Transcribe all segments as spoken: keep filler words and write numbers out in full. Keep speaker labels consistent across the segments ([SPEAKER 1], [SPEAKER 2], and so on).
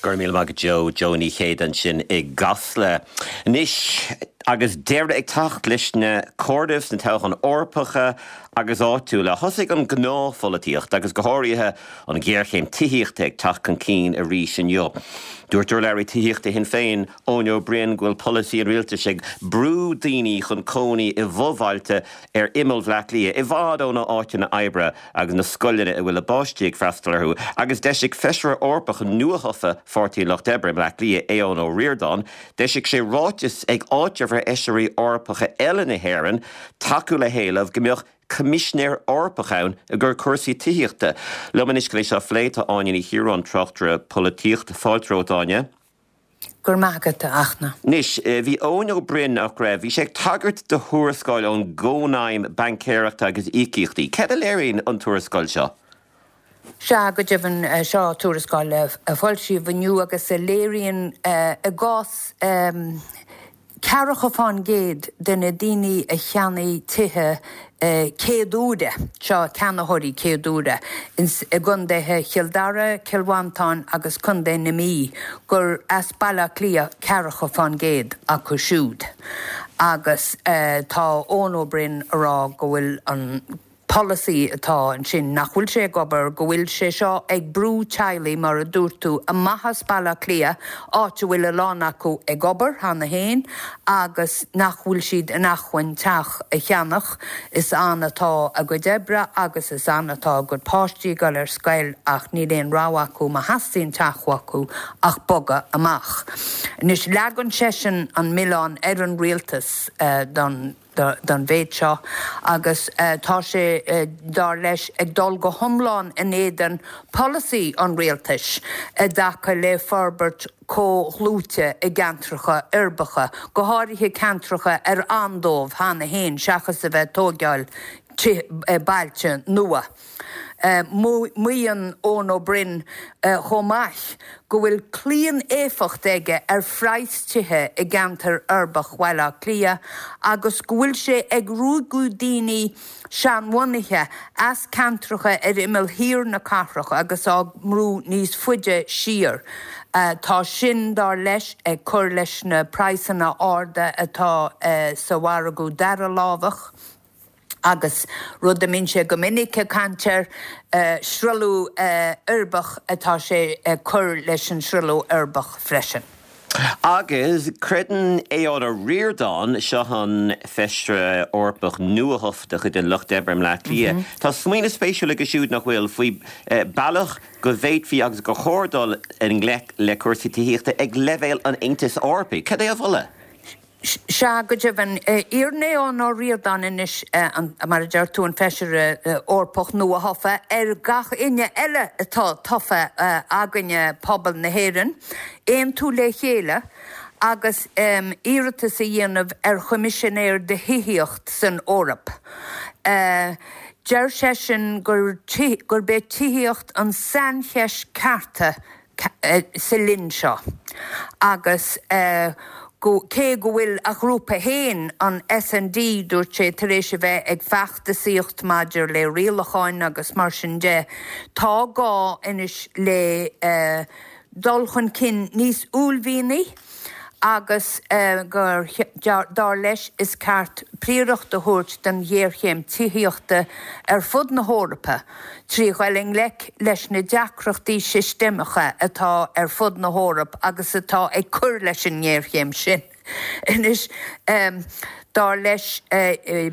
[SPEAKER 1] Go raibh míle maith agat Joe Joe Ní Chéide ansin i gCasla. Anois agus deireadh ag teacht leis na comhairimh sna toghcháin Eorpacha agus áitiúla. Thosaigh an ghnáthpholaitíocht agus go háirithe an ghéarchéim tithíochta ag teacht chun cinn arís inniu. Dúirt urlabhraí tithíochta Shinn Féin Eoin Ó Broin go bhfuil polasaí an rialtais ag brú daoine chun cónaí i bhfobhailte ar imeall Bhaile Átha Cliath, i bhfad ó na háiteanna oibre agus na scoileanna a bhfuil a bpáistí ag freastal orthu, agus d'eisigh feisire Eorpach nuathofa Pháirtí an Lucht Oibre i mBleá Cliath Aodhán Ó Ríordáin, d'eisigh sé ráiteas ag áiteamh ar fheisirí Eorpacha eile na hÉireann tacú le héileamh go mbeadh Coimisinéir Eorpach ann i gcomhair cúrsaí tithíochta. Liom anois chun é seo a phlé tá Áine Ní Chiaráin tráchtaire polaitíochta fáilte romhat Áine.
[SPEAKER 2] Gur maigad a achna.
[SPEAKER 1] Anois, bhí Eoin Ó Broin nach raibh, bhí sé ag tagairt do thuarascáil ón gCónaidhm Baincéireachta agus Íocaíochtaí. Cad a léiríonn an tuarascáil seo?
[SPEAKER 2] Sea go deimhin seo tuarascáil a foilsíodh inniu agus a léiríonn i gcás ceathracha fán gcéad de na daoine a cheannaigh tithe céad uaire, seo ceannaitheoirí céad uaire, i gcontaetha Chill Dara, Cill Mhantáin agus Contae na Mí, gur as Baile Átha Cliath ceathracha fán gcéad acu siúd. Agus tá Eoin Ó Broin a rá go bhfuil an polasaí atá ansin nach bhfuil sé ag obair go bhfuil sé seo ag brú teaghlaigh mar a dúirt tú amach as Baile Átha Cliath áit a bhfuil a lán acu ag obair cheana féin agus nach bhfuil siad in acmhainn teach a cheannach is ann atá a gcuid oibre agus is ann atá a gcuid páistí ag dul ar scoil ach níl aon rogha acu má theastaíonn teach acu ach bogadh amach. Anois leagann seisean an milleán ar an rialtas uh, don don mhéid seo agus uh, tá sé uh, dar leis ag dul go hiomlán in éadan polasaí an rialtais i dtaca le forbairt comhdhlúite i gceantracha uirbeacha, go háirithe ceantracha ar ann dóibh cheana féin seachas a bheith tógáil bailte nua. Uh, Maíonn Eoin Ó Broin uh, chomh maith go bhfuil claonéifeacht aige ar phraghas tithe i gceantar uirbeach Bhaile Átha Cliath agus go bhfuil sé ag ruaigeadh daoine seanbhunaithe as ceantracha ar imeall thiar na cathrach agus á mbrú níos faide siar. Uh, tá sin dar leis ag cur leis na praghsanna arda atá uh, sa mhargadh dara lámhach. agus rud a mbíonn sé go minic ag caint air uh, sruthlú uh, uirbeach atá sé uh, cur leis an sruthlú uirbeach freisin.
[SPEAKER 1] Agus creideann Aodhán Ó Ríordáin seo an feisire Eorpach nuathofa de chuid an Lucht Oibre i mBleá Cliath. Mm -hmm. Tá smaoineamh spéisiúil aige siúd nach bhfuil faoi eh, bealach go bhféadfaí agus gur chóir dul i ngleic le cúrsaí tithíochta ag leibhéal an Aontais Eorpaigh. Cad é a mholadh?
[SPEAKER 2] Sea go deimhin iarrann Aodhán Ó Ríordáin anois mar a deir tú an feisire Eorpach nuathofa ar gach éinne eile atá tofa againne pobal na hÉireann, aontú le chéile agus um, iarratas a dhéanamh ar choimisinéir do thithíocht san Eoraip. Uh, Deir seisean gur gurb é tithíocht an saincheist cearta sa linn seo. Agus uh, go cé go bhfuil a ghrúpa féin an S&D dúirt sé tar éis a bheith ag feachtasaíocht maidir le rialacháin agus mar sin de tá gá anois le uh, dul chun cinn níos uaillmhianaí agus uh, gur dar leis is ceart príoracht a thabhairt don ghéarchéim tithíochta ar fud na hEorpa, trí dhul i ngleic leis na deacrachtaí sistéamacha atá ar fud na hEorpa agus atá ag cur leis an ngéarchéim sin. Anois um, dar leis uh, uh,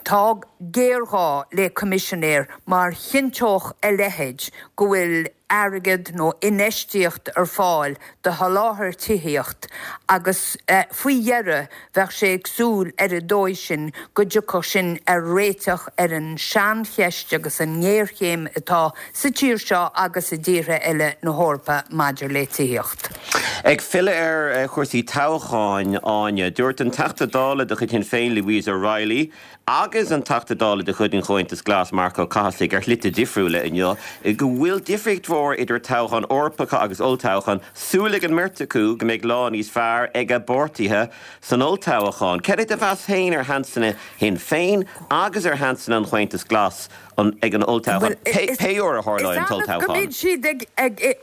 [SPEAKER 2] tá géarghá le coimisinéir mar chinnteodh a leithéid go bhfuil airgead nó infheistíocht ar fáil do sholáthar tithíocht agus uh, faoi dheireadh bheadh sé ag súil ar an dóigh sin go dtiocfadh sin ar réiteach ar an saincheist agus an ngéarchéim atá sa tír seo agus i dtíortha eile na hEorpa maidir le tithíocht.
[SPEAKER 1] Ag filleadh ar chúrsaí toghcháin, Áine, dúirt an Teachta Dála de chuid Shinn Féin, Louise O'Reilly, agus an Teachta Dála de chuid an Chomhaontais Glas, Marc Ó Cathasaigh, ar shlite difriúla inniu, go bhfuil difríocht mhór idir toghcháin Eorpacha agus olltoghchán, súil ag an mbeirt acu go mbeidh lá níos fearr ag a bpáirtithe san olltoghchán. Cad é do mheas féin ar sheansanna Shinn Féin agus ar sheansanna an Chomhaontais Glas ag an olltoghchán, pé uair a tharlóidh an
[SPEAKER 2] t-olltoghchán? Is annamh go mbíonn siad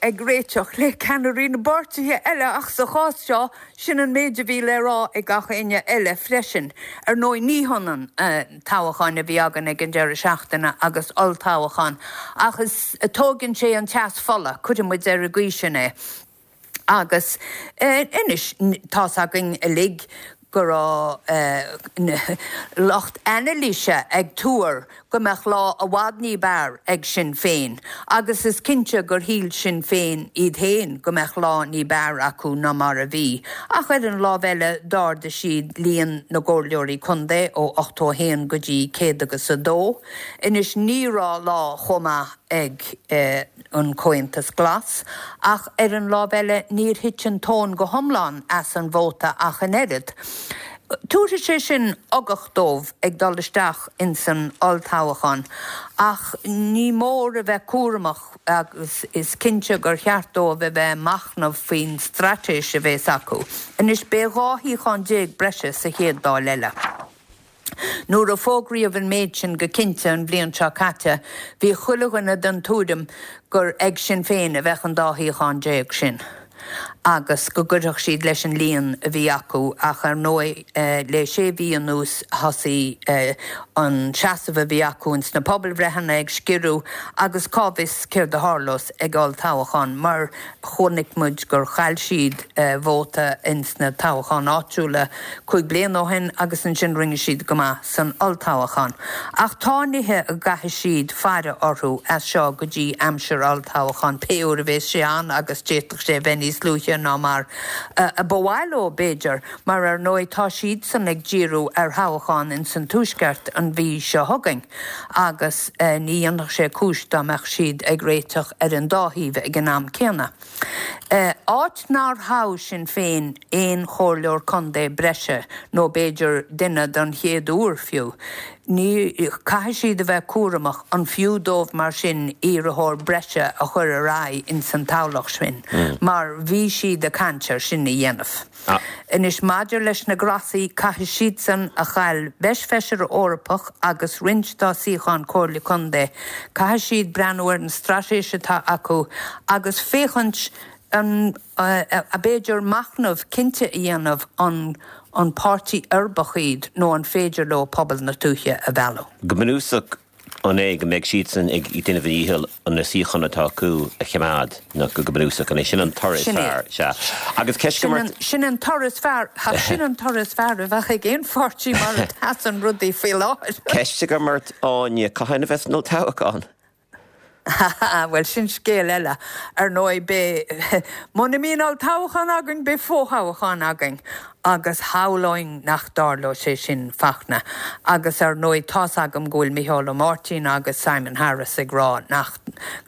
[SPEAKER 2] ag réiteach le ceannairí na bpáirtithe eile ach sa chás seo, sin an méid a bhí le rá ag gach éinne eile freisin. Ar ndóigh, ní hionann toghcháin a bhí againn ag an deireadh seachtaine agus olltoghchán ach is tógann sé an teas fola, cuirfidh muid ar an gcaoi sin é. Agus anois, tá's againn uilig go raibh lucht anailíse ag tuar go mbeadh lá i bhfad ní b'fhearr ag Sinn Féin agus is cinnte gur shíl Sinn Féin iad féin go mbeadh lá ní b'fhearr acu ná mar a bhí. Ach ar an lámh eile d'ardaigh siad líon na gcomhairleoirí contae ó ochtó a haon go dtí céad agus a dó. Anois ní raibh lá chomh maith ag an Comhaontas Glas ach ar an lámh eile níor thit an tóin go hiomlán as an vóta ach an oiread. Tabharfaidh sé sin ugach dóibh ag dul isteach ins an olltoghchán ach ní mór a bheith cúramach agus is cinnte gur cheart dóibh a bheith ag machnamh faoin straitéis a bheas acu. Anois beidh dhá shuíochán déag breise sa chéad Dáil eile. Nuair a fógraíodh an méid sin go cinnte an bhliain seo caite, bhí chuile dhuine den tuairim gur ag Sinn Féin a bheadh an dá shuíochán déag sin agus go gcuirfeadh siad leis an líon a bhí acu ach ar ndóigh le sé mhí anuas thosaigh an seasamh a bhí acu ins na pobalbhreitheanna ag sciorradh agus cá bhfios céard a tharlós ag olltoghchán mar chonaic muid gur chaill siad vóta ins na toghcháin áitiúla cúig bliana ó shin agus ansin rinne siad go maith san olltoghchán. Ach tá nithe a gcaithfidh siad faire orthu as seo go dtí aimsir olltoghcháin, pé uair a bheas sé ann agus d'fhéadfadh sé a bheith níos luaithe ná mar a ba mhaith leo, b'fhéidir, mar ar ndóigh tá siadsan ag díriú ar thoghchán ins an Tuaisceart an mhí seo chugainn agus ní dhéanfadh sé cúis dá mbeadh siad ag réiteach ar an dá thaobh ag an am céanna. Áit nár thogh Sinn Féin aon chomhairleoir contae breise, nó b'fhéidir duine don chéad uair fiú, ní, caithfidh siad a bheith cúramach an fiú dóibh mar sin iarrthóir breise a chur ar aghaidh ins an toghlach sin, mar bhí siad ag caint ar sin a dhéanamh. Anois maidir leis na Glasaigh, caithfidh siadsan a chaill beirt feisire Eorpach agus roinnt dá suíocháin Comhairle Contae, caithfidh siad breathnú ar an straitéis atá acu agus féachaint an, b'fhéidir machnamh cinnte a dhéanamh an an páirtí uirbeach iad nó an féidir leo pobal na tuaithe a mhealladh.
[SPEAKER 1] Go bunúsach, an é go mbeidh siadsan ag déanamh a ndícheall na suíocháin atá acu a choimeád, nó go bunúsach, an é sin an toradh is fearr? Sea. Agus ceist
[SPEAKER 2] agam ort. Sin an toradh is fearr, ach sin an toradh is fearr a bheadh ag aon pháirtí mar a sheasann rudaí faoi láthair.
[SPEAKER 1] Ceist agam ort, Áine, cathain a bheas an olltoghchán?
[SPEAKER 2] Bhuel, sin scéal eile. Ar ndóigh, beidh, muna mbíonn olltoghchán againn, beidh fothoghchán againn agus shamhlóinn nach dtarlódh sé sin Fachtna. Agus ar ndóigh, tá's agam go bhfuil Micheál Ó Máirtín agus Simon Harris ag rá nach,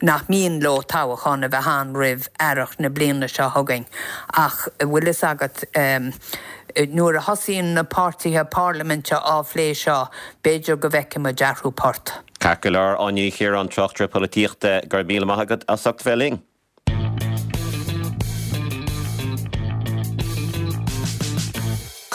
[SPEAKER 2] nach mian leo toghchán a bheith ann roimh earrach na bliana seo chugainn. Ach, bhfuil fhios agat, nuair a thosaíonn na páirtithe parlaiminte á phlé seo, b'fhéidir go bhfeicfidh muid athrú port.
[SPEAKER 1] Ceart go leor, Áine Ní Chiaráin, tráchtaire polaitíochta, go raibh míle maith agat as ucht bheith linn.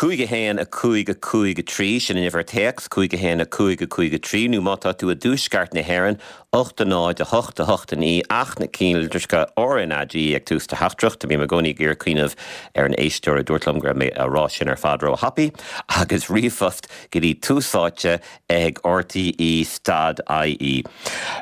[SPEAKER 1] Cúig a haon a cúig a cúig a trí, sin an uimhir téacs, cúig a haon a cúig a cúig a trí, nó má tá tú i dtuaisceart na hÉireann, ocht a náid a hocht a hocht a naoi, ach na cinnlitreacha RnaG ag tús do theachtaireachta. Bím i gcónaí ag iarraidh cuimhneamh ar an éisteoir a dúirt liom go raibh mé á rá sin ar fad ró-thapaidh, agus ríomhphost go dtí Tús Áite ag RTÉ stad IE.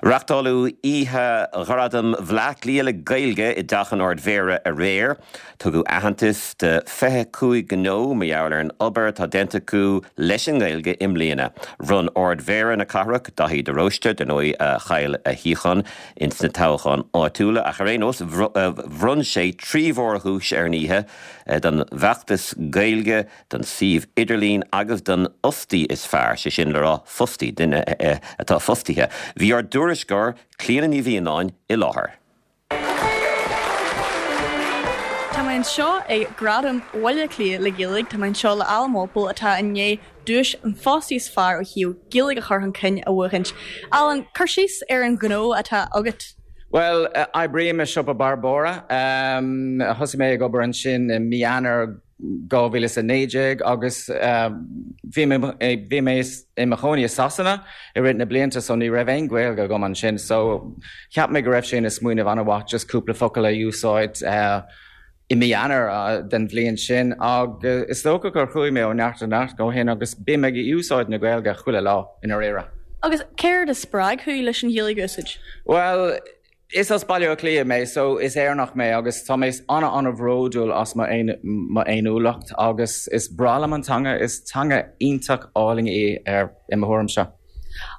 [SPEAKER 1] Reachtáladh Oíche Ghradaim Bhleá Cliath le Gaeilge i dTeach an Ard-Mhéara aréir. Tugadh aitheantas do fiche cúig gnó mar gheall ar an obair atá déanta acu leis an nGaeilge i mbliana. Bhronn Ard-Mhéara na cathrach, Daithí de Róiste, dar ndóigh a chaill a shuíochán ins na toghcháin áitiúla, ach ar aon nós bhronn sé trí mhórdhuais ar an oíche, don bhfeachtas Gaeilge, don suíomh idirlín agus don fhostaí is fearr, sé sin le rá fostaí, duine atá fostaithe. Bhí ár dtuairisceoir, Clíona Ní Mhianáin, i láthair.
[SPEAKER 3] Tá Tá mé anseo ag Gradaim Bhaile Átha Cliath le Gaeilge tá mé anseo le Alan Walpole atá i ndiaidh duais an fostaí is fearr ó thaobh Gaeilge a chur chun cinn a bhuachaint. Alan, cur síos ar an ghnó atá agat.
[SPEAKER 4] Well, uh, oibrím i siopa Barbora um, thosaigh mé ag obair ansin i mí Eanáir dhá mhíle is a naoi déag agus bhí bhí mé i mo chónaí i Sasana i rith na blianta so ní raibh aon Ghaeilge agam ansin so cheap mé go raibh sé ina smaoineamh an-mhaith just cúpla focal a úsáid uh, i mí Eanáir uh, den bhliain sin agus is dócha gur chuaigh mé ó neart go neart ó shin agus bím ag úsáid na Gaeilge chuile lá i ndáiríre.
[SPEAKER 3] Agus céard a spreag thú leis an Ghaeilge a úsáid?
[SPEAKER 4] Well, Is as Baile Átha Cliath mé, so is Éireannach mé agus tá mé an-an-bhródúil as m'fhéiniúlacht agus is breá liom an teanga is teanga iontach álainn í ar i mo thuairimse.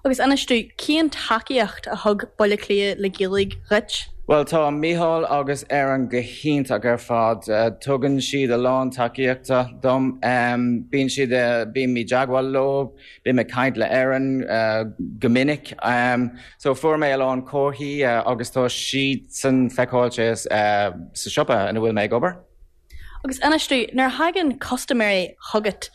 [SPEAKER 3] Agus inis domh cén tacaíocht a thug Baile Átha Cliath le Gaeilge dhuit?
[SPEAKER 4] Well tá Mícheál agus Erin go hiontach ar fad. Tugann siad a lán tacaíochta dom. Bíonn siad bím i dteagmháil leo, bím ag caint le Erin go minic. So fuair mé a lán comharthaí agus tá siadsan feiceáilte sa siopa ina bhfuil mé ag obair.
[SPEAKER 3] Agus inis domh, nuair a thagann custaiméirí chugat,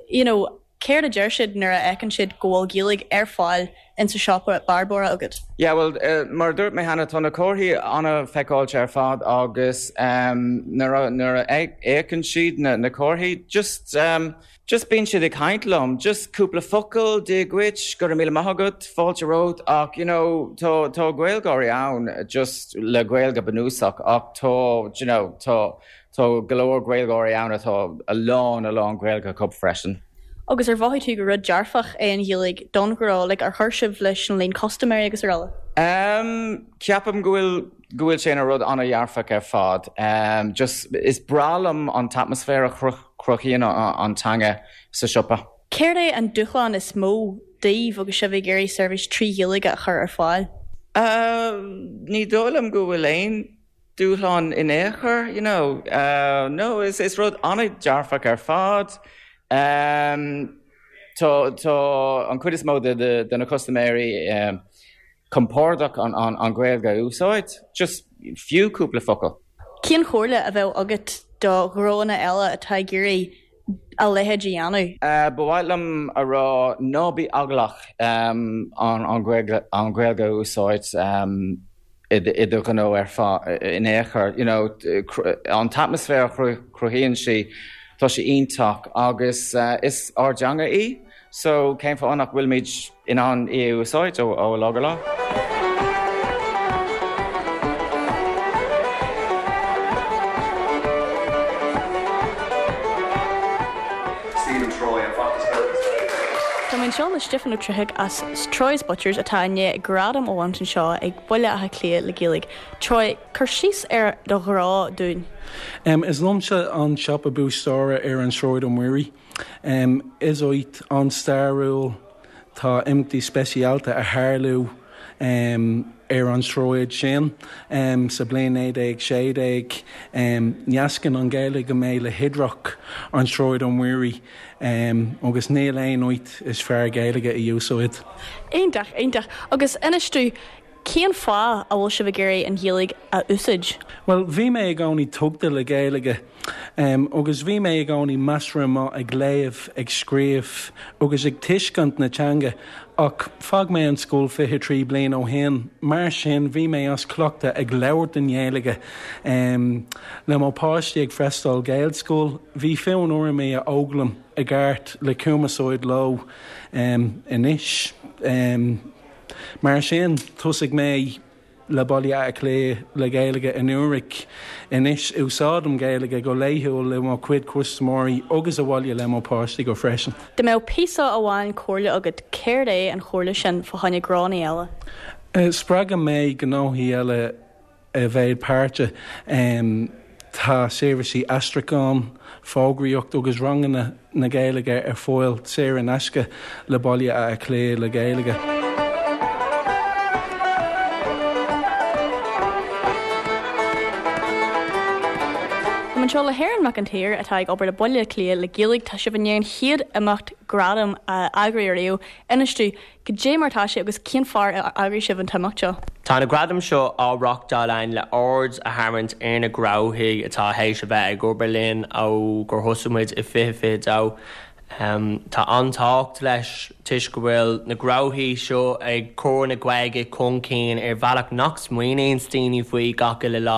[SPEAKER 3] you know, céard a deir siad nuair a fheiceann siad go bhfuil Gaeilge ar fáil in sa siopa Barbora agat?
[SPEAKER 4] Yeah, well, uh, mar dúirt mé cheana tá na comharthaí an-fheiceáilte ar fad agus um, nuair a fheiceann siad na, na comharthaí, just um, just bíonn siad ag caint liom, just cúpla focal Dia duit, go raibh míle maith agat, fáilte romhat ach you know, tá tá Gaeilgeoirí ann just le Gaeilge bunúsach ach tá you know, tá tá go leor Gaeilgeoirí ann atá a lán a lán Gaeilge acu freisin.
[SPEAKER 3] Agus ar mhothaigh tú gur rud dearfach é an Ghaeilge don ghnó like, ar chuir sibh leis an líon custaiméirí agus araile?
[SPEAKER 4] Um, ceapaim go bhfuil go bhfuil sé ina rud an-dhearfach ar fad. Um, just is breá liom an t-atmaisféar a chruthaíonn an teanga sa siopa.
[SPEAKER 3] Céard é an dúshlán is mó daoibh agus sibh ag iarraidh seirbhís trí Ghaeilge a chur ar fáil?
[SPEAKER 4] Uh, ní dóigh liom go bhfuil aon dúshlán in aon chor, you know. Uh, no, is, is rud an-dearfach ar fad. Um, tá tá an chuid is mó de, de, de na custaiméirí um, compordach an, an, an Ghaeilge a úsáid, just fiú cúpla focal.
[SPEAKER 3] Cén chomhairle a bheadh agat do ghnónna eile atá ag iarraidh a leithéid a dhéanamh?
[SPEAKER 4] Uh, ba mhaith liom a rá ná bí eaglach um, an, an Ghaeilge, an Ghaeilge a úsáid um, i do ghnó ar fad in aon chor. You know, an t-atmaisféar a chruthaíonn sí tá sé iontach agus uh, is ár dteanga í, so cén fáth nach bhfuilimid in ann í a úsáid ó ó lá go lá.
[SPEAKER 3] Tá mé anseo le Stiofán Ó Troigh as Troy's Butchers atá i ndiaidh gradam a bhaint anseo ag Baile Átha Cliath le Gaeilge. Troy, cur síos ar do ghnó dúinn.
[SPEAKER 5] Um, is liomsa an siopa búistéara ar an Sráid Ó Muirí. Um, is áit an-stairiúil tá imeachtaí speisialta ag tarlú um, ar an sráid sin um, sa bliain naoi déag sé déag um, nascann an Ghaeilge go mé le hoidhreacht an Sráid Ó Muirí um, agus níl aon áit is fearr Gaeilge a úsáid.
[SPEAKER 3] Iontach, iontach. Agus inis domh cén fáth a bhfuil sibh ag iarraidh an Ghaeilge a úsáid?
[SPEAKER 5] Well, bhí mé i gcónaí tógtha le Gaeilge um, agus bhí mé i gcónaí measartha maith ag léamh, ag scríobh agus ag tuiscint na teanga ach d'fhág mé an scoil fiche trí bliain ó shin. Mar sin bhí mé as cleachtadh ag labhairt an Ghaeilge um, le mo páistí ag freastal Gaelscoil, bhí fonn orm é a fhoghlaim i gceart le cumarsáid leo um, anois. Um, Mar sin thosaigh mé le Baile Átha Cliath le Gaeilge anuraidh anois úsáidim Gaeilge go laethúil le mo chuid custaiméirí agus abhaile le mo páistí go freisin.
[SPEAKER 3] Dá mbeadh píosa amháin comhairle agat céard é an chomhairle sin fá choinne gnónna eile?
[SPEAKER 5] Uh, Spreagann mé gnóthaí eile a bheith páirteach um, tá seirbhísí aistriúcháin, fógraíocht agus ranganna na Gaeilge ar fáil saor in aisce le Baile Átha Cliath le Gaeilge.
[SPEAKER 3] Tá anseo le hErin Mac an tSaoir atá ag obair le Baile Átha Cliath le Gaeilge tá sibh i ndiaidh an chéad imeacht gradam a eagrú ariamh. Inis dúinn cad é mar atá sé agus cén fáth ar eagraigh sibh an t-imeacht seo.
[SPEAKER 6] Tá na gradaim seo á reáchtáil againn le aird a tharraingt ar na gnóthaí atá théis a bheith ag obair linn ó gur thosaigh muid i fiche fiche dó. Um, tá an-tábhacht leis toisc go bhfuil na gnóthaí seo ag cur na Gaeilge chun cinn ar bhealach nach smaoiníonn daoine faoi gach uile lá.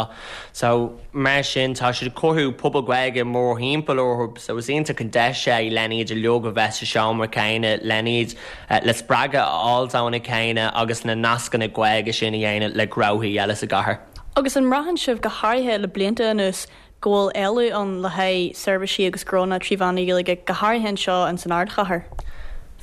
[SPEAKER 6] So mar sin tá siad ag cothú pobal Gaeilge mórthimpeall orthu, so is iontach an deis é lena iad uilig a bheith sa seomra céanna lena iad uh, le spreagadh a fháil óna chéile agus na nascanna Gaeilge sin a dhéanamh le gnóthaí eile sa gcathair.
[SPEAKER 3] Agus an mbraitheann sibh go háirithe le blianta anuas go bhfuil éileamh ann le haghaidh seirbhísí agus gnónna trí mheán na Gaeilge go háirithe anseo in san ardchathair.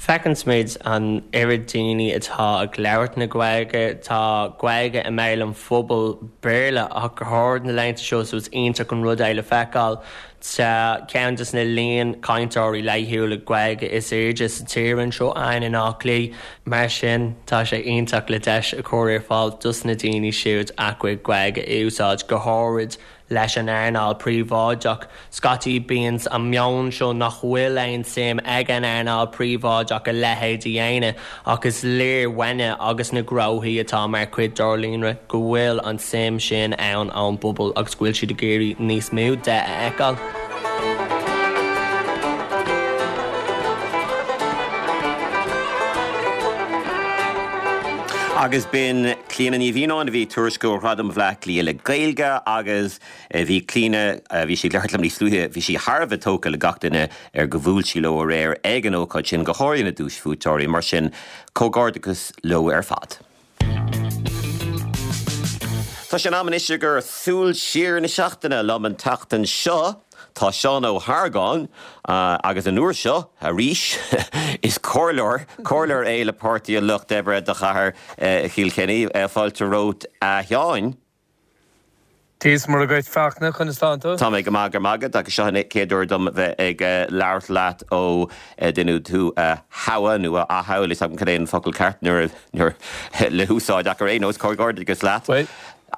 [SPEAKER 6] Feiceann muid an oiread daoine atá ag labhairt na Gaeilge, tá Gaeilge i mbéal an phobail Béarla ach go hard na laethanta seo so is iontach an rud é le feiceáil Tá ceann de na líon cainteoirí laethúla Gaeilge is airde sa tír anseo againn in Áth Cliath. Mar sin tá sé iontach le deis a chur ar fáil dos na daoine siúd a gcuid Gaeilge a úsáid go háirid leis an earnáil príobháideach. Scaití bíonn an meon seo nach bhfuil aon suim ag an earnáil príobháideach a leithéid a dhéanamh ach is léir uainne agus na gnóthaí atá mar chuid dár líonra go bhfuil an suim sin ann ón bpobal agus go bhfuil siad ag iarraidh níos mó de a fheiceáil.
[SPEAKER 1] Agus b'in Clíona Ní Mhianáin a bhí ag tuairisciú ar Ghradaim Bhaile Átha Cliath le Gaeilge agus bhí Clíona bhí sí ag labhairt liom níos luaithe, bhí sí thar a bheith tógtha le gach duine ar gur bhuail sí leo aréir ag an ócáid sin, go háirithe na duaisbhuaiteoirí, mar sin comhghairdeachas leo ar fad. Tá sé in am anois gur súil siar na seachtaine liom an tseachtain seo. Tá Seán Ó hArgáin agus an uair seo arís is comhairleoir, comhairleoir é le Páirtí an Lucht Oibre do chathair Chill Chainnigh. Fáilte romhat a Sheáin.
[SPEAKER 7] Dia is Muire dhuit Fachtna, conas tánn tú?
[SPEAKER 1] Tá mé go maith go raibh maith agat agus seo an chéad uair dom bheith ag labhairt leat ó deineadh tú a thoghadh nó a athoghadh, níl a fhios agam cad é an focal ceart nuair le húsáid ach ar aon nós, comhghairdeachas leat.
[SPEAKER 7] Bhuel,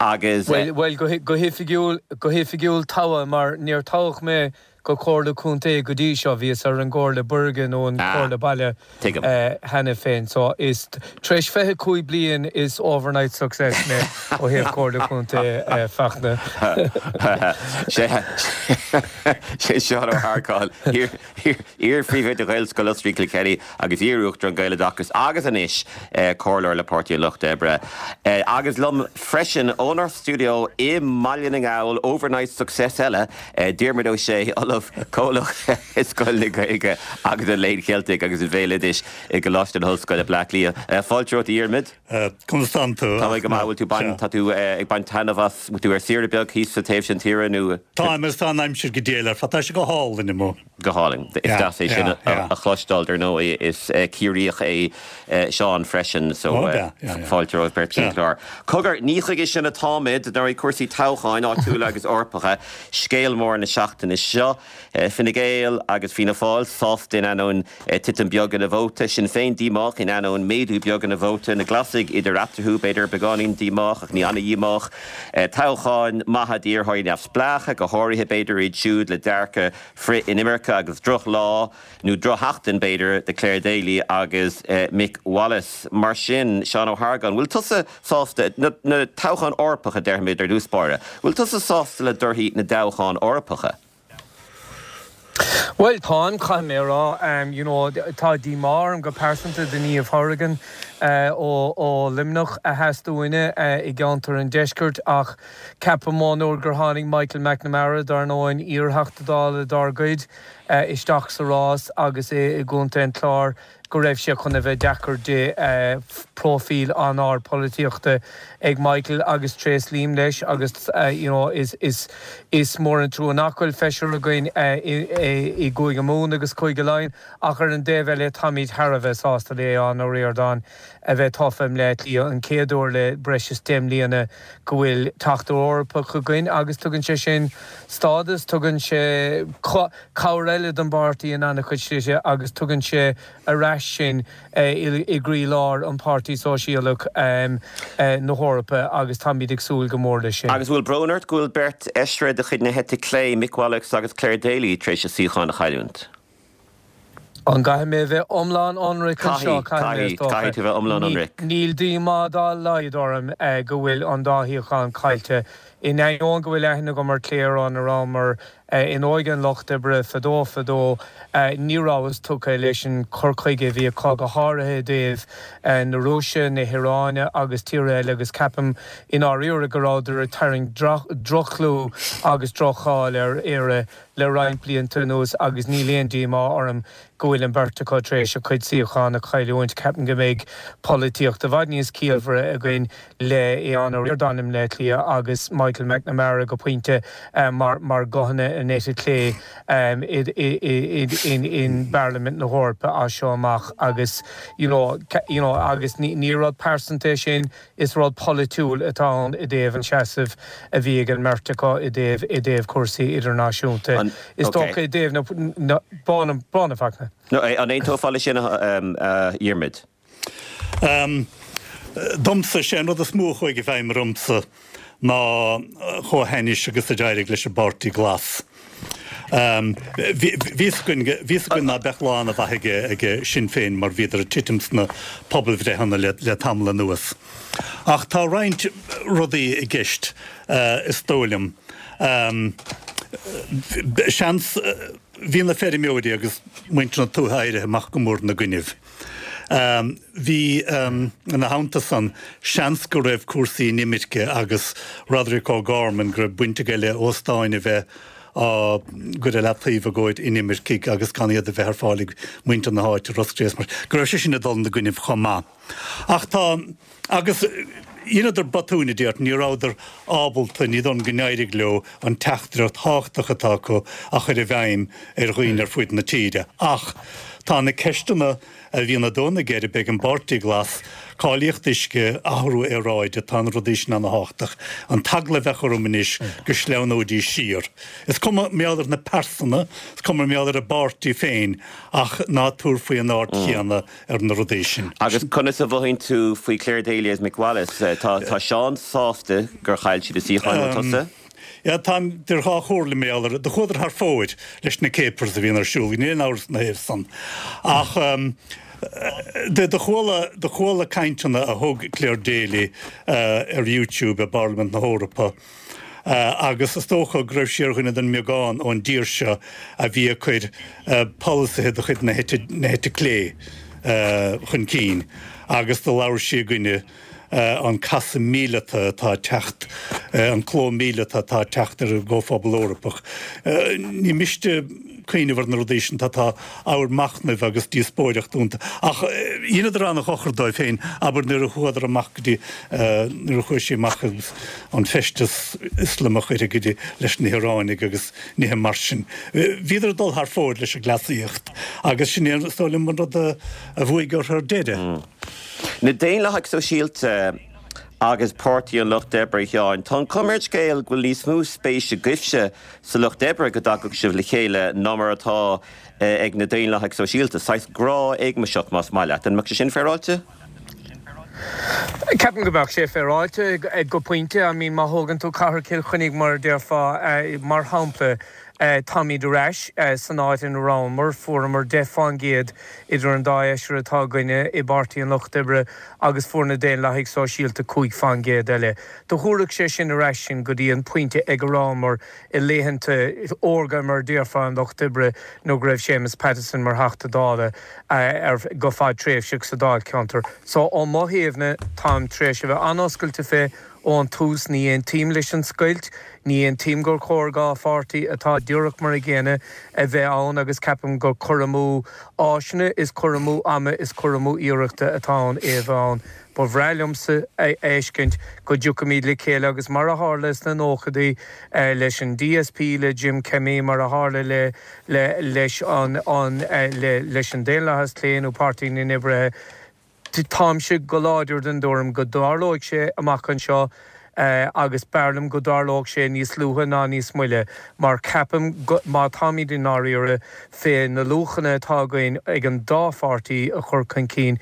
[SPEAKER 1] Agus.
[SPEAKER 7] Bhuel, bhuel, go hoifigiúil, go hoifigiúil toghadh mar níor toghadh mé go Comhairle Contae go dtí seo, bhíos ar an gComhairle Buirge nó an Comhairle Baile cheana féin. So is tar éis fiche cúig bliain is overnight success mé ó thaobh Comhairle Contae Fachtna.
[SPEAKER 1] Sé Seán Ó hArgáin, iar-phríomhoide Ghaelscoil Osraí Kilkenny agus iar-uachtarán Gaeloideachas agus anois comhairleoir le Páirtí an Lucht Oibre. Agus liom freisin ónár stiúideo i mBaile na nGall, overnight success eile, Diarmuid Ó Sé, Ollamh Comhlach i Scoil na Gaeilge agus an Léinn Cheiltigh agus an Bhéaloidis i gColáiste na hOllscoile Bleá Cliath. Fáilte romhat a Dhiarmuid.
[SPEAKER 8] Conas tánn tú?
[SPEAKER 1] Tá mé go maith, bhfuil tú bain, tá tú ag baint taitneamh as, bhfuil tú ar saoire beag thíos sa taobh sin tíre nó?
[SPEAKER 8] Táim agus tá an aimsir go diail ar fad, tá sé go hálainn amuigh.
[SPEAKER 1] Go hálainn. Is deas é sin a chloisteáil, dar ndóigh is Ciarraíoch é Seán freisin so fáilte romhaibh beirt chuig an chlár. Cogar, ní chuige sin atáimid, dar ndóigh cúrsaí toghcháin áitiúla agus Eorpacha, scéal mór na seachtaine seo. Fine Gael agus Fianna Fáil sásta in ainneoin titim beag ina vóta, Sinn Féin díomách in ainneoin méadú beag ina vóta, na Glasaigh idir eatarthu, b'fhéidir beagáinín díomách ach ní an-dhíomách. Toghcháin maithe d'iarrthóirí neamhspleácha, go háirithe b'fhéidir iad siúd le dearcadh frith-inimirce agus drochlá nó drochsheachtain b'fhéidir do Clare Daly agus Mick Wallace. Mar sin, Seán Ó hArgáin, bhfuil tusa sásta, na toghcháin Eorpacha déarfaimid ar dtús báire, bhfuil tusa sásta le torthaí na dtoghchán Eorpacha?
[SPEAKER 7] Bhuel, táim, caithfidh mé a rá. You know, tá díomá orm go pearsanta do Niamh Hourigan ó ó Luimneach a sheas dúinne i gceantar an Deiscirt ach ceapaim ón uair gur tháinig Michael McNamara, dar ndóigh, iar-Theachta Dála dár gcuid, isteach sa rás agus é i gContae an Chláir, go raibh sé chun a bheith deacair di. Próifíl an-ard polaitíochta ag Michael agus tréaslaím leis agus you know is is is mór an trua nach bhfuil feisire againn i i gCúige Mumhan agus Cúige Laighean ach ar an dtaobh eile táimid thar a bheith sásta le Aodhán Ó Ríordáin. a bheith tofa i mBleá Cliath, an chéad uair le breis is deich mbliana go bhfuil Teachta Eorpach againn agus tugann sé sin stádas, tugann sé cabhair eile don bpáirtí in an-chuid slite agus tugann sé ar ais sinn i gcroílár an Páirtí Sóisialach na hEorpa agus táimid ag súil go mór leis sin.
[SPEAKER 1] Agus bhfuil brón ort go bhfuil beirt fheisire de chuid na heite clé, Mick Wallace agus Clare Daly, tar éis a suíocháin a chailliúint?
[SPEAKER 7] An gcaithfidh mé a bheith iomlán ionraic anseo?
[SPEAKER 1] Caithfidh, caithfidh mé, is dócha. Caithfidh tú a bheith iomlán ionraic.
[SPEAKER 7] Níl díomá dá laghad orm go bhfuil an dá shuíochán caillte. In ainneoin go bhfuil aithne agam ar Clare óna rabhamar in Óige an Lucht Oibre fadó fadó, ní rabhas tugtha leis an cur chuige a bhí acu, go háirithe i dtaobh na Rúise, na hIaráine agus tíortha eile agus ceapaim i ndáiríre go rabhadar ag tarraingt droch-chlú agus droch-cháil ar Éire le roinnt blianta anuas agus níl aon díomá orm go bhfuil an bheirt acu tar éis a gcuid suíochán a chailliúint. Ceapaim go mbeidh polaitíocht i bhfad níos ciallmhaire againn le Aodhán Ó Ríordáin i mBleá Cliath agus Michael McNamara go pointe mar mar ghuthanna an eite chlé in bParlaimint na hEorpa as seo amach agus you know you know agus ní rud pearsanta é sin Is rud polaitiúil atá ann i dtaobh an seasamh a bhí ag an mbeirt acu i dtaobh i dtaobh cúrsaí idirnáisiúnta. Is dócha i dtaobh na Bána Fachtna.
[SPEAKER 1] An aontófá leis sin, a Dhiarmaid?
[SPEAKER 8] Domsa, sé an rud is mó a chuaigh i bhfeidhm ormsa ná chomh hainnis agus a d'éirigh leis an bPáirtí Glas. Bhí fhios againn, bhí fhios againn ná beadh lá ana-mhaith ag Sinn Féin mar bhíodar ag titim sna pobalbhreitheanna le tamall anuas. Ach tá roinnt rudaí i gceist, is dóigh liom. Seans, bhí na feirmeoirí agus muintir na tuaithe éirithe amach go mór ina gcoinnibh. Bhí, ina theannta san, seans go raibh cúrsaí inimirce agus Roderic O'Gorman, go raibh baint aige le óstáin a bheith á gcur ar leataobh i gcomhair inimircigh agus gan iad a bheith ar fáil ag muintir na háite, Ros Cré, mar go raibh sé sin ag dul ina gcoinnibh chomh maith. Ach tá, agus dheineadar botúin, a déarfainn, ní rabhadar ábalta, ní dóigh liom go n-éirigh leo an teachtaireacht thábhachtach atá acu a chur i bhfeidhm ar dhaoine ar fuaid na tíre. Ach tá na ceisteanna a bhíonn ag dó na geirbe ag an bPáirtí Glas, cáilíocht uisce, athrú aeráide, tá na rudaí sin ana-thábhachtach. An t-eagla a bheadh orm anois go sleamhnóidís siar. Is cuma mar gheall ar na pearsana, is cuma mar gheall ar an bpáirtí féin, ach ná tabhair faoi an aird chéanna ar na rudaí sin.
[SPEAKER 1] Agus conas a mhothaíonn tú faoi Clare Daly agus Mick Wallace? Tá Seán sásta gur chaill siad a suíocháin, an bhfuil tusa?
[SPEAKER 8] Yeah, táim idir dhá chomhairle mar gheall air. Do chuadar thar fóir leis na capers a bhíonn ar siúl, níl aon amhras ina thaobh san. Ach do chuala, do chuala cainteanna a thug Clare Daly ar YouTube i bParlaimint na hEorpa agus is dócha go raibh sí ar dhuine den mbeagán ón dtír seo a bhí ag cur polasaithe de chuid na heite, na heite clé chun cinn agus do labhair sí i gcoinne an casadh míleata atá ag teacht, an cló míleata atá ag teacht ar an gComhphobal Eorpach. Ní miste cuimhneamh ar na rudaí sin, tá tá ábhar machnaimh agus díospóireachta iontu. Ach dheineadar an-dhochar dóibh féin, abair nuair a chuadar amach go dtí, nuair a chuaigh sí amach agus an feisteas Ioslamach uirthi go dtí leis na hIoránaigh agus nithe mar sin. Bhíodar ag dul thar fóir leis an gcleasaíocht agus sin é, is dóigh liom, an rud a bhuaigh orthu ar deireadh.
[SPEAKER 1] Na Daonlathaigh Sóisialta agus Páirtí an Lucht Oibre, a Sheáin, tá an chuma ar an scéal go bhfuil níos mó spéise agaibhse sa Lucht Oibre go dtagadh sibh le chéile ná mar atá ag na Daonlathaigh Sóisialta. Saghas grá éagmaiseach, más maith leat. An mbeadh sé sin féaráilte?
[SPEAKER 7] Ceapaim go mbeadh sé féaráilte go pointe. I mean, má thógann tú Cathair Chill Chainnigh mar a déarfá, mar shampla, Táimid ar ais san áit ina rabhamar. Fuaireamar deich fán gcéad idir an dá fheisire atá againne i bPáirtí an Lucht Oibre agus fuair na Daonlathaigh Sóisialta cúig fán gcéad eile. Do thabharfadh sé sin ar ais sinn go dtí an pointe ag a rabhamar i laethanta órga, mar a déarfá, an Lucht Oibre nuair go raibh Séamus Pattison mar Theachta Dála ar go fadtréimhseach sa Dáilcheantar. So ó mo thaobhna, táim tar éis a bheith an-oscailte fé Ón tús, ní aontaím leis an scoilt, ní aontaím gur chóir dhá pháirtí atá díreach mar a gcéanna a bheith ann agus ceapaim gur cur amú áiseanna is cur amú ama is cur amú iarrachta atá ann é a bheith ann. Ba bhreá liomsa a fheiscint go dtiocfaimid le chéile agus mar a tharla sna nóchadaí leis an DSP le Jim Kemmy, mar a tharla le le leis an an le leis an Daonlathas Clé nó Páirtí na nOibrithe, Táimse go láidir den dtuairim go dtarlóidh sé amach anseo agus b'fhearr liom go dtarlódh sé níos luaithe ná níos moille mar ceapaim go, má táimid i ndáiríre fé na luachanna atá againn ag an dá pháirtí a chur chun cinn,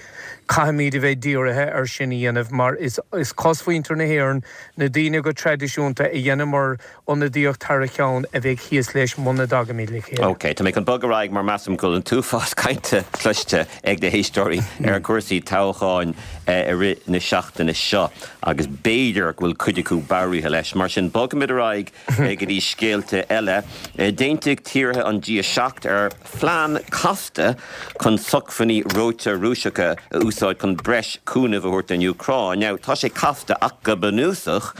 [SPEAKER 7] caithfimid a bheith dírithe ar sin a dhéanamh mar is is cosmhuintir na hÉireann, na daoine go traidisiúnta a dheineamar ionadaíocht thar a cheann, a bheidh thíos leis muna dtagaimid le chéile.
[SPEAKER 1] Ok, tá mé chun bogadh ar aghaidh mar measaim go bhfuil an t-uafás cainte cloiste ag na héisteoirí ar chúrsaí toghcháin i rith na seachtaine seo agus b'fhéidir go bhfuil cuid acu bodhraithe leis. Mar sin, bogfaimid ar aghaidh go dtí scéalta eile. D'aontaigh tíortha an G a seacht ar phlean casta chun sócmhainní reoite Rúiseacha a úsáid chun breis cúnaimh a thabhairt don Úcráin. Now, tá sé casta ach go bunúsach,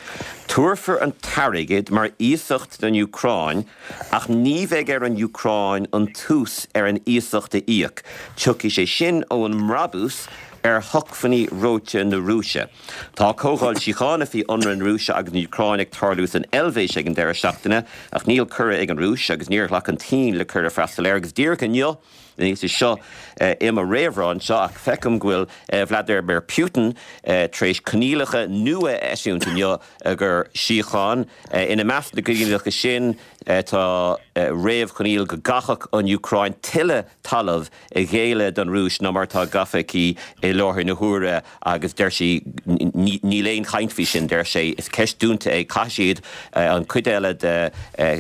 [SPEAKER 1] tabharfar an t-airgead mar iasacht don Úcráin ach ní bheidh ar an Úcráin an t-ús ar an iasacht a íoc. Tiocfaidh sé sin ón mbrabús ar shócmhainní reoite na Rúise. Tá comhdháil síochána faoi ionradh na Rúise agus na hÚcráine ag tarlú san Eilvéis ag an deireadh seachtaine ach níl cuireadh ag an Rúis agus níor ghlac an tSín le cuireadh freastal air agus díreach inniu, níl sé seo i mo réamhrá anseo ach feicim go bhfuil Vladimir Putin tar éis coinníollacha nua a eisiúint inniu gur síocháin. Ina measc na gcoinníollacha sin tá réamhchoinníoll go gcaithfeadh an Úcráin tuilleadh talaimh a ghéilleadh don Rúis ná mar atá gafa aici i láthair na huaire agus deir sí níl aon chaint faoi sin, deir sé. Is ceist dúnta é, caithfidh siad an chuid eile de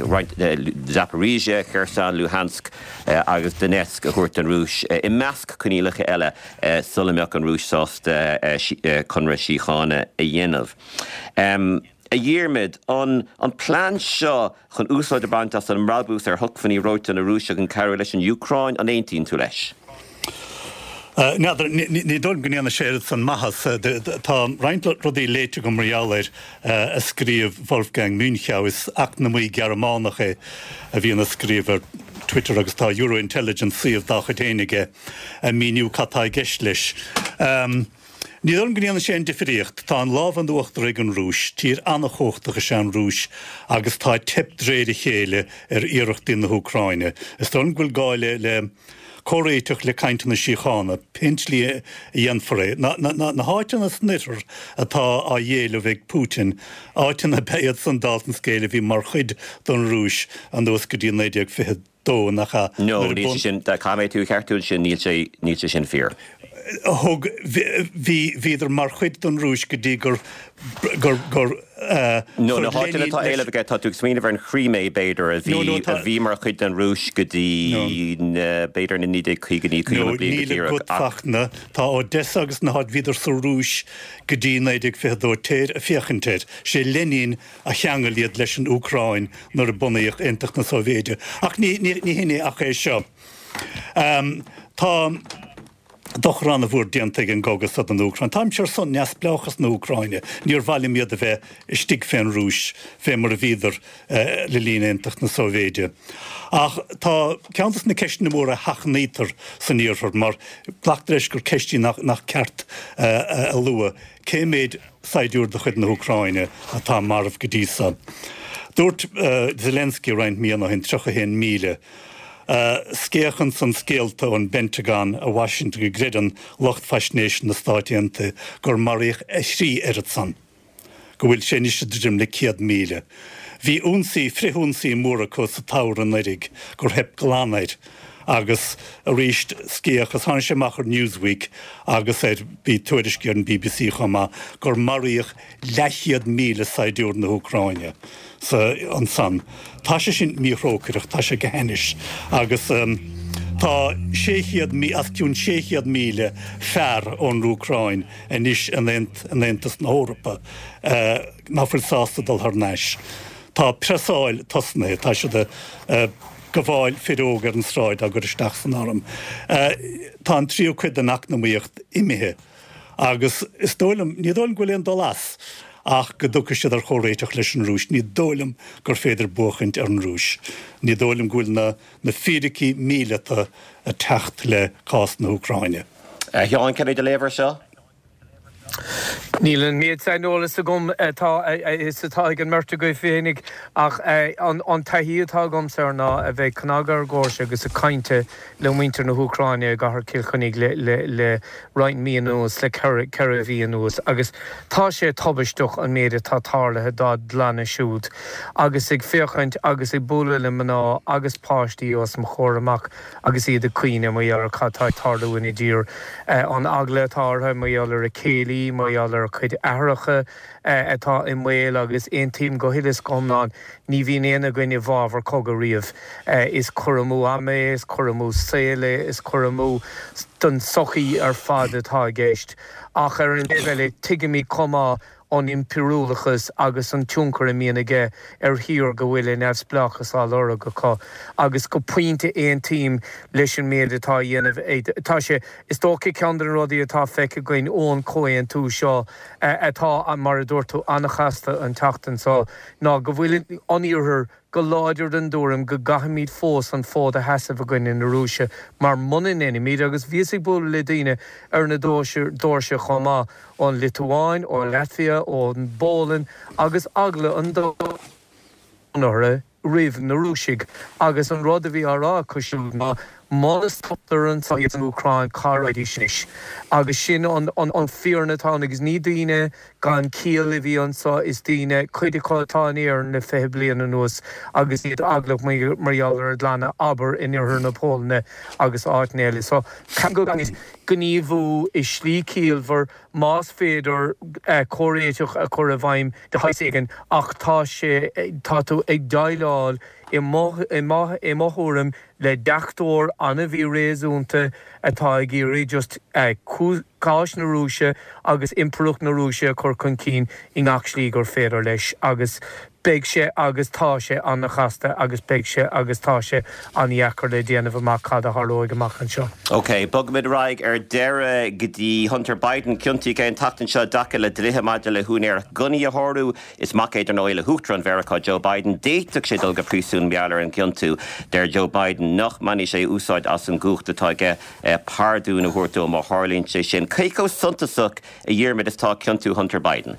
[SPEAKER 1] roinnt Zaporizhzhia, Kherson, Luhansk agus Donetsk a thabhairt don Rúis, i measc coinníollacha eile, sula mbeadh an Rúis sásta conradh síochána a dhéanamh. A Dhiarmaid, an an plean seo chun úsáid a bhaint as an mbrabús ar shócmhainní reoite na Rúise chun cabhrú leis an Úcráin, an aontaíonn tú leis?
[SPEAKER 8] N'fheadar, ní dóigh liom go ndéanfaidh sé oiread san maitheas. Tá roinnt rudaí léite agam mar gheall air a scríobh Wolfgang Münchau. Is eacnamaí Gearmánach é a bhíonn ag scríobh ar Twitter agus tá Eurointelligence, suíomh dá chuid féin aige, ag míniú cad tá i gceist leis. Ní dóigh liom go ndéanfaidh sé aon difríocht. Tá an lámh in uachtar ag an Rúis. Tír an-chumhachtach is ea an Rúis agus tá ag teip de réir a chéile ar iarrachtaí na hÚcráine. Is dóigh liom go bhfuil gá le le comhréiteach, le cainteanna síochána, pén tslí a dhéanfar é. Na na háiteanna san oirthear atá á éileamh ag Putin, áiteanna ab ea iad san, dála an scéil, a bhí mar chuid den Rúis anuas go dtí naoi déag fiche dó, nach ea?
[SPEAKER 1] No, níl sé sin, caithfidh mé tú a cheartú ansin, níl sé, níl sé sin fíor.
[SPEAKER 8] Thug, bhí, bhíodar mar chuid den Rúis go dtí gur, gur, gur
[SPEAKER 1] No, na háiteanna atá á éileamh aige, tá tú ag smaoineamh ar an Chrímé, b'fhéidir, a bhí, a bhí mar chuid den Rúis go dtí na, b'fhéidir na naoi déag caogaidí, caoga
[SPEAKER 8] No,
[SPEAKER 1] bliain go
[SPEAKER 8] níl
[SPEAKER 1] díreach,
[SPEAKER 8] agat
[SPEAKER 1] ach.
[SPEAKER 8] Fachtna, tá Odessa agus na háit, bhíodar sa Rúis go dtí naoi déag fiche dó, téir ag féachaint air, sé Lenin a cheangail iad leis an Úcráin nuair a bunaíodh Aontacht na Sóivéide. Ach ní hin é ach é seo. Tá dochar an-mhór déanta ag an gcogadh seo don Úcráin. Táimse ar son neamhspleáchas na hÚcráine. Níor mhaith liom iad a bheith istigh fén Rúis, fé mar a bhíodar le linn Aontacht na Sóivéide. Ach tá ceann de na ceisteanna móra a sheachnaítear san Iarthar, mar glactar leis gur ceist í nach ceart a lua, cé mhéid saighdiúir de chuid na hÚcráine atá marbh go dtí seo. Dúirt Zelensky roinnt míonna ó shin tríocha a haon míle. Scéach ansan scéalta ón bPentagon i Washington go gcreideann lucht faisnéise na Stáit Aontaithe gur maraíodh a thrí oiread san, go bhfuil sé anois ag druidim le céad míle. Bhí ionsaí, frith-ionsaí mór acu sa tsamhradh anuraidh gur theip glan air agus arís scéach agus tháinig sé amach ar Newsweek agus ar, bhí tuairiscí ar an bbc chomh maith, gur maraíodh leathchéad míle saighdiúir na hÚcráine sa, ansan. Tá sé sin míthrócaireach, tá sé go hainnis agus tá sé chéad, os cionn sé chéad míle fear ón Úcráin anois in Aontas na hEorpa nach bhfuil sásta dul thar n-ais. Tá preasáil tosnaithe, tá siad ag gabháil fir óga ar an sráid á gcur isteach san arm. Tá an tríú cuid den eacnamaíocht imithe agus is dóigh liom, ní dóigh liom go bhfuil aon dul as ach go dtiocfaidh siad ar chomhréiteach leis an Rúis. Ní dóigh liom gur féidir buachaint ar an Rúis. Ní dóigh liom go bhfuil na na fíricí míleata ag teacht le cás na hÚcráine.
[SPEAKER 1] A Sheáin, cad é do léamh air seo?
[SPEAKER 7] Níl an méid saineolas agam atá is atá ag an mbeirt agaibh féinig ach an taithí atá agamsa ná a bheith ag cnagadh ar dhoirse agus ag caint le muintir na hÚcráine i gcathair Chill Chainnigh le le le roinnt mí anuas, le ceithre mhí anuas agus tá sé tubaisteach an méid atá tarlaithe dá gclanna siúd agus ag féachaint agus ag bualadh le mná agus páistí os mo chomhair amach agus iad ag caoineadh mar gheall ar cad tá ag tarlú ina dtír, an eagla atá orthu mar gheall ar a céilí, mar gheall ar a cuid aithreacha atá i mbaol agus aontaím go huile is go hiomlán, ní bhíonn aon againn i bhfabhar cogadh riamh. Is cur amú ama é, is cur amú saoil é, is cur amú don tsochaí ar fad atá i gceist. Ach ar an dtaobh eile, tuigimid chomh maith an impiriúlachas agus an tionchar a mbíonn aige ar thír go bhfuil a neamhspleáchas á lorg acu agus go pointe aontaím leis an méid atá á dhéanamh ag, tá sé, is dócha ceann de na rudaí atá feicthe againn ón chomhaontú seo atá, mar a dúirt tú, an-chasta an tseachtain seo ná go bhfuil an Iarthar go láidir den dtuairim go gcaithfimid fós an fód a sheasamh i gcoinne na Rúise mar muna ndéanaimid, agus bhíos ag bualadh le daoine ar na doirse chomh maith, ón Liotuáin, ó Latvia, ón bPólainn agus eagla an domhain orthu roimh na Rúisigh agus an rud a bhí á rá acu siúd ná muna stoptar anso iad san Úcráin cá raghaidís anois? Agus sin an fhírinne atá ann agus ní daoine gan ciall a bhí anso, is daoine, cuid acu atá in Éirinn le fiche bliain anuas agus iad eaglach mar gheall ar a gclanna, abair, in oirthear na Polainne agus áiteanna eile. So, caithfidh go gcaithfimid gníomhú i slí ciallmhar, más féidir comhréiteach a chur i bhfeidhm de shaghas éigin ach tá sé, tá tú ag déileáil i mo thuairim, le deachtóir an-mhíréasúnta atá ag iarraidh just cás na Rúise agus impireacht na Rúise a chur chun cinn i ngach slí gur féidir leis agus beidh sé agus tá sé an-chasta agus beidh sé agus tá sé an-dheacair le déanamh amach cad a tharlóidh amach anseo.
[SPEAKER 1] OK, bogfaimid ar aghaidh ar deireadh go dtí Hunter Biden. Ciontaíodh é an tseachtain seo i dtaca le dlíthe maidir le húinéireacht gunnaí a shárú. Is mac é, dar ndóigh, le hUachtarán Mheiriceá Joe Biden. D'fhéadfadh sé dul go príosún mar gheall ar an gciontú. Deir Joe Biden nach mbainfidh sé úsáid as an gcumhacht atá aige pardún a thabhairt dó má tharlaíonn sé sin. Cé chomh suntasach, a Dhiarmaid, is atá ciontú Hunter Biden?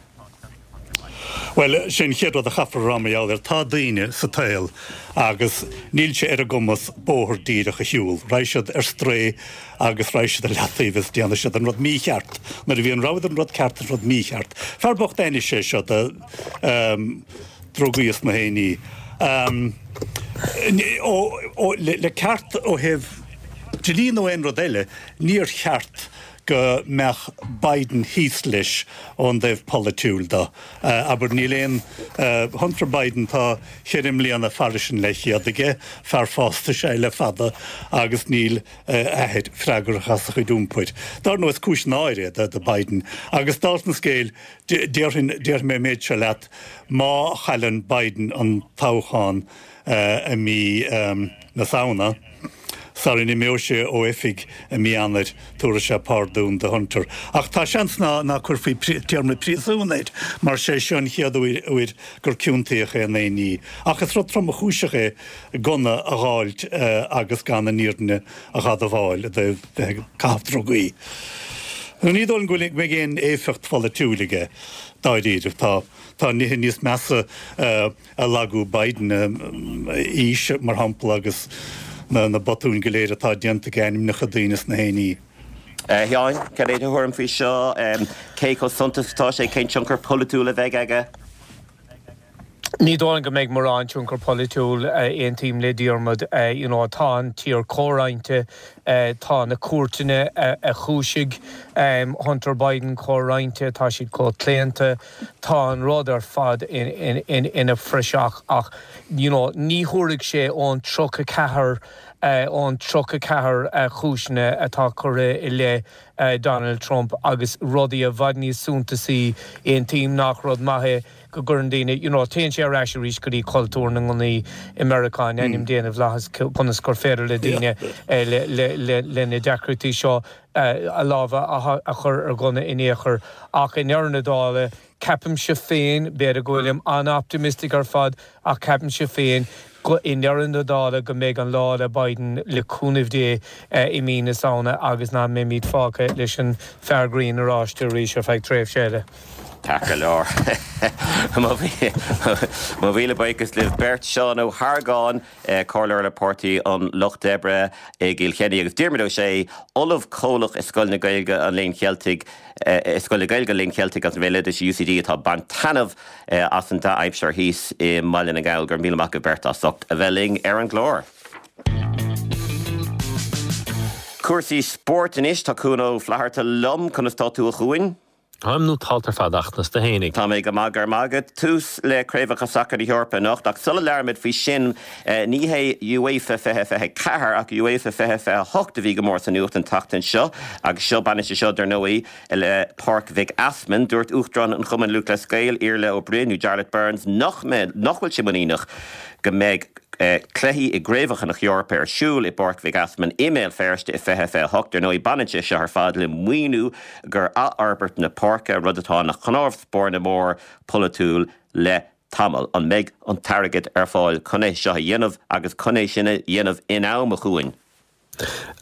[SPEAKER 8] Bhuel, sin an chéad rud a chaithfear a rá mar gheall air. Tá daoine sa tsaol agus níl sé ar a gcumas bóthar díreach a shiúl. Raghaidh siad ar strae agus raghaidh siad ar leataobh is déanfaidh siad an rud mícheart nuair a bhí an rogha idir an rud ceart agus an rud mícheart. Fear bocht ainnis é seo de drugaí is na haon ní. Le ceart ó thaobh dlí nó aon rud eile, níor cheart go mbeadh Biden thíos leis ón dtaobh polaitiúil de. Abair, níl aon Hunter Biden, tá cheithre mbliana fairis an leathchéad aige, fear fásta is ea é le fada agus níl a athair freagrach as a chuid iompair. Dar ndóigh, is cúis náire é do Biden. Agus dála an scéil, déarfainn, déarfaidh mé an méid seo leat, má chailleann Biden an toghchán i mí na Samhna, Sara n-imeoidh sé ó oifig i mí Eanáir, tabharfaidh sé pardún do Hunter. Ach tá seans ná ná cuirfí téarma príosúin air, mar sé seo an chéad uair gur ciontaíodh é in aon ní. Ach is rud tromchúiseach é gunna a dh'fháilt agus gan an fhírinne a dh'admháil i dtaobh bheith ag caitheamh drugaí. Ní dóigh liom go mbeidh aon éifeacht pholaitiúil aige, dáiríribh. Tá tá nithe níos measa a lagú Biden, aois, mar shampla, agus na botúin go léir atá déanta aige, ainmneacha daoine is na haon ní.
[SPEAKER 1] A Sheáin, cad é do thuairim faoi seo? Cé chomh suntasach atá sé? Cén tionchar polaitiúil a bheidh aige?
[SPEAKER 7] Ní dóigh liom go mbeidh mórán tionchar polaitiúil, aontaím le Diarmuid. You know, tá an tír comhroinnte, tá na cúirteanna a chúisigh Hunter Biden comhroinnte, tá siad chomh claonta. Tá an rud ar fad ina phraiseach ach you know ní thabharfaidh sé ón tríocha ceathair ón tríocha ceathair cúiseanna atá curtha i leith Donald Trump agus rudaí i bhfad níos suntasaí. Aontaím nach rud maith é go go gcuireann daoine, you know, téann sé ar ais arís go dtí cultúr na ngunnaí i Meiriceá in ainm Dé na bhFlaitheas conas gur féidir le daoine le le na deacrachtaí seo a lámha a chur ar ghunna in aon chor ach i ndeireadh na dála ceapaimse féin, b'fhéidir go bhfuilim an-optimistic ar fad ach ceapaimse féin go i ndeireadh na dála go mbeidh an lá le Biden le cúnamh Dé i mí na Samhna agus nach mbeimid fágtha leis an fear grinn oráiste arís ar feadh tréimhse eile.
[SPEAKER 1] Ceart go leor. Mo mhíle buíochas libh beirt, Seán Ó hArgáin, Comhairleoir le Páirtí an Lucht Oibre i gCill Chainnigh agus Diarmuid Ó Sé, Ollamh Comhlach i Scoil na Gaeilge an Léinn Cheiltigh, i Scoil na Gaeilge an Léinn Cheiltigh agus an Bhéaloidis, UCD, atá ag baint taitneamh as an dea-aimsir thíos i mBaile na nGall. Go raibh míle maith agaibh beirt as ucht a bheith linn ar an gclár. Cúrsaí spóirt anois, tá Cuan Ó Flatharta liom, conas tá tú a Chuain?
[SPEAKER 9] Táim nótálta ar fad ach conas tá tú fhéinig.
[SPEAKER 1] Tá mé go maith, go raibh maith agat. Tús le Craobhacha Sacair na hEorpa anocht ach sula labhraímid faoi sin, ní hé UEFA fiche fiche ceathair ach UEFA fiche fiche hocht a bhí go mór sa nuacht an tseachtain seo agus seo baineann sé seo dar ndóigh le Páirc Mhic Easmainn. Dúirt Uachtarán an Chumainn Lúthchleas Gael, Iarla Ó Broin nó Jarlath Burns nach mbeidh, nach bhfuil sé muiníneach go mbeidh cluichí i gCraobhacha na hEorpa ar siúl i bPáirc Mhic Easmainn i mBéal Feirste i fiche fiche hocht. Ar ndóigh, baineann sé seo ar fad le maoiniú gur athfhorbairt na páirce, rud atá ina chnámh spairne mór polaitiúil le tamall. An mbeidh an t-airgead ar fáil chun é seo a dhéanamh agus chun é sin a dhéanamh in am, a Chuain?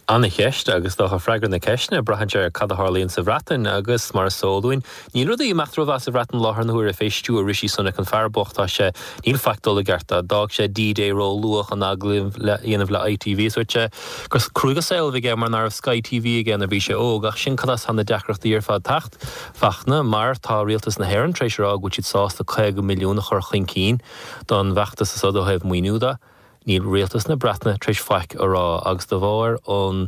[SPEAKER 9] Ana-cheist agus dócha freagra na ceisteanna, braitheann sé ar cad a tharlaíonn sa Bhreatain agus mar is eol dúinn, níl rudaí ag imeacht rómhaith sa Bhreatain láthair na huaire fé stiúir Rishi Sunak an fear bocht tá sé, níl faic dul i gceart dó. D'fhág sé D-Day ró-luath chun agallamh a dhéanamh le ITV is dúirt sé gur cruaidh an saol a bhí aige mar ná raibh Sky TV aige nuair a bhí sé óg ach sin cad as tá na deacrachtaí ar fad teacht, Fachtna, mar tá rialtas na hÉireann tar éis a rá go bhfuil siad sásta caoga milliún a chur chun cinn don bhfeachtas so ó thaobh maoiniú de. Níl rialtas na Breataine tar éis faic a rá agus de bharr an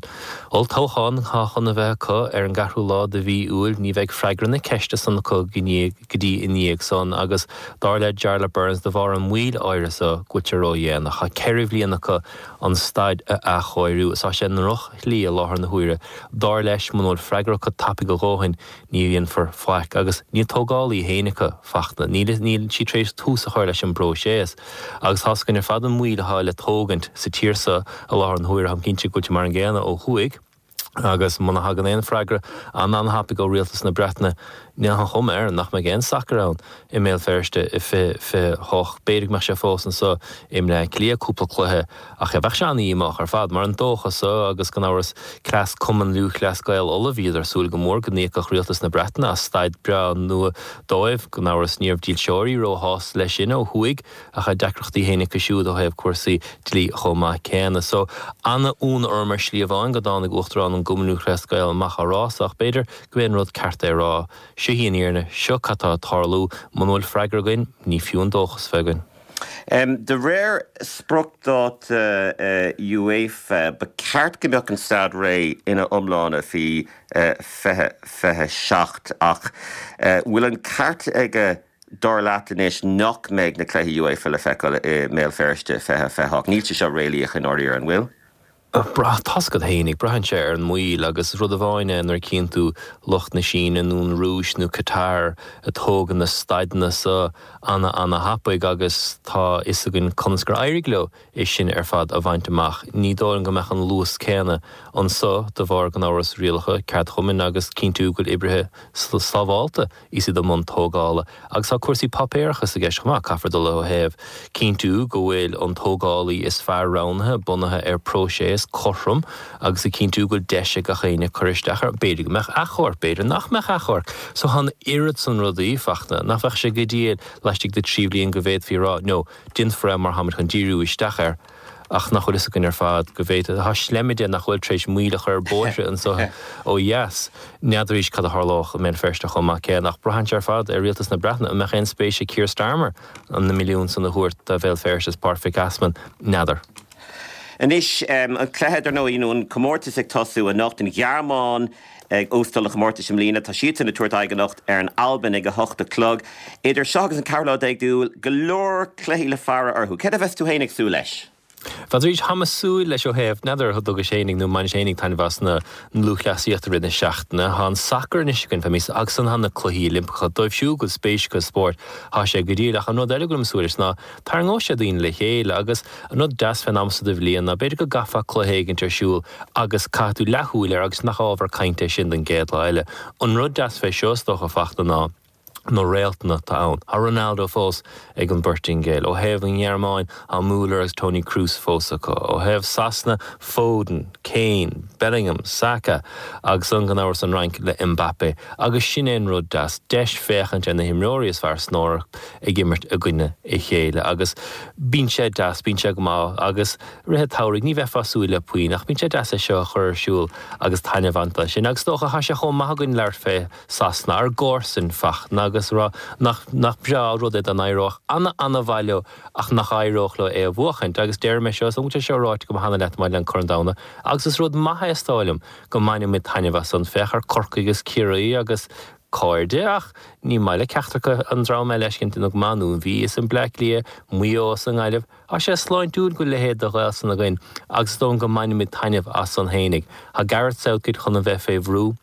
[SPEAKER 9] olltoghchán atá chun a bheith acu ar an gceathrú lá de mhí Iúil ní bheidh freagra na ceiste san acu go dtí i ndiaidh san agus dar le Jarlath Burns de bharr an mhoill áirithe so go bhfuil sé ródhéanach. Tá ceithre bhliain acu an staid a athchóiriú is tá sé i ndrochshlí i láthair na huaire. Dar leis muna bhfuil freagra acu tapaidh a dhóthain ní dhéanfar faic agus níl tógálaí féin acu, Fachtna. Níl níl siad tar éis tús a chur leis an bpróiseas. Agus tá's againn ar fad an mhoill atá le tógaint sa tír seo i láthair na huaire. Táim cinnte go bhfuil sé mar an gcéanna ó thuaidh. Agus muna thagann aon freagra an-an-thapaidh ó rialtas na Breataine, níl an chuma air nach mbeidh aon sacar ann i mBéal Feirste i fiche fiche hocht. B'fhéidir go mbeadh sé fós anseo i mBleá Cliath, cúpla cluiche, ach bheadh sé an-dhíomách ar fad, mar an dóchas so agus gan amhras cleas Cumann Lúthchleas Gael Uladh, bhíodar ag súil go mór go n-íocfadh rialtas na Breataine as staid breá nua dóibh. Gan amhras ní raibh dílseoirí róshásta leis sin ó thuaidh ach tá deacrachtaí féin acu siúd ó thaobh cúrsaí dlí chomh maith céanna. So, an-ionadh orm ar shlí amháin go dtáinig Uachtarán an gCumann Lúthchleas Gael amach á rá so ach b'fhéidir go b'é an rud ceart é a rá. Seo í an fhírinne, seo cad tá ag tarlú, muna bhfuil freagra againn, ní fiú an dóchas bheith againn.
[SPEAKER 1] De réir spriocdháta UEFA, ba cheart go mbeadh an staid réidh ina iomláine faoi fiche fiche seacht ach bhfuil an ceart aige dar leat anois nach mbeidh na cluichí UEFA le feiceáil i mBéal Feirste fiche fiche hocht? Níl sé seo réalaíoch i ndáiríre, an bhfuil?
[SPEAKER 9] Brath, tá's agat fhéinig, braitheann sé ar an moill agus rud amháin é nuair a chíonn tú lucht na Síne nó an Rúis nó Qatar ag tógaint na staideanna so ana ana thapaidh agus tá fhios againn conas gur éirigh leo é sin ar fad a bhaint amach. Ní dóigh liom go mbeadh an luas céanna anso de bharr gan amhras rialacha ceardchumainn agus cinntiú go bhfuil oibrithe sábhálta is iad i mbun tógála. Agus tá cúrsaí páipéarachais i gceist chomh maith, caithfear dul ó thaobh cinntiú go bhfuil an tógálaí is fearr roghnaithe bunaithe ar próiseas cothrom agus ag cinntiú go bhfuil deis ag gach éinne cur isteach air. B'fhéidir go mbeadh achomharc, b'fhéidir nach mbeadh achomharc. So tá an oiread san rudaí, Fachtna, nach bheadh sé go diail laistigh de trí bhliain go bhféadfaí a rá, no, déanfar é mar táimid chun díriú isteach air. Ach nach bhfuil fhios againn ar fad go bhféadfadh, tá sleimeide nach bhfuil tar éis moill a chur ar bóithre anseo ó dheas. N'fheadar arís cad a tharlódh i mBéal Feirste chomh maith céanna. Ach braitheann sé ar fad ar rialtas na Breataine. An mbeadh aon spéis ag Keir Starmer na milliúin san a thabhairt do Bhéal Feirste is Páirc Mhic Easmainn? N'fheadar.
[SPEAKER 1] Anois, an cluiche, dar ndóigh, nó an comórtas ag tosú anocht, an Ghearmáin ag óstáil an chomórtais i mbliana. Tá siadsan ag tabhairt aghaidh anocht ar an Albain ag a hocht a chlog. Idir seo agus an ceathrú lá déag d'Iúil, go leor cluichí le faire orthu. Céard a bheas tú féin ag súil leis?
[SPEAKER 9] N'fheadar arís, tháim ag súil leis ó thaobh, n'fheadar an dtugais fhéinig nó an mbainis fhéinig taitneamh as na lúthchleasaíocht i rith na seachtaine. Thá an sacar anois againn fé míosa agus ansan thá na Cluichí Oilimpeacha. Dóibh siúd go bhfuil spéis acu i spórt, thá sé go diail. Ach an rud eile go bhfuilim ag súil leis ná tarraingeoidh sé daoine le chéile agus an rud deas fén am so de bhliain ná b'fhéidir go gcaithfeá cluiche éigint ar siúl agus caithfidh tú leathshúil air agus nach ábhar cainte é sin don gcéad lá eile. An rud deas fé seo is dócha Fachtna ná na réaltanna atá ann. Tá Ronaldo fós ag an bPortaingéil. Ó thaobh an Ghearmáin, tá Müller agus Toni Kroos fós acu. Ó thaobh Sasana, Foden, Kane, Bellingham, Saka agus an gan amhras an Fhrainc le Mbappé. Agus sin é an rud deas, deis féachaint ar na himreoirí is fearr san Eoraip ag imirt i gcoinne a chéile. Agus bíonn sé deas, bíonn sé go maith agus rith an tsamhraidh ní bheifeá ag súil le puinn ach bíonn sé deas é seo a chur ar siúl agus taitneamh a bhaint as sin. Agus is dócha, tá sé chomh maith againn labhairt fé Sasana, ár gcomharsain, Fachtna agus rá nach nach breá an rud é dá n-éireodh ana ana-mhaith leo ach nach éireodh leo é a bhuachaint. Agus deirim é seo, is dóigh liom go bhfuil sé seo ráite agam cheana leat maidir le an Corn Domhanda agus is rud maith é is dóigh liom go mbainfidh muid taitneamh as san. Féach ar Corcaigh agus Ciarraí agus cairde ach ní maith le ceachtar acu an dream eile a fheiscint nó go maith nó an Mhí is an Bleá Cliath, Maigh Eo is an nGaillimh. Tá sé sláintiúil go bhfuil a leithéid de ghaolsain againn agus is dóigh liom go mbainfimid taitneamh as san fhéinig. Tá Gareth Southgate chun a bheith fé bhrú.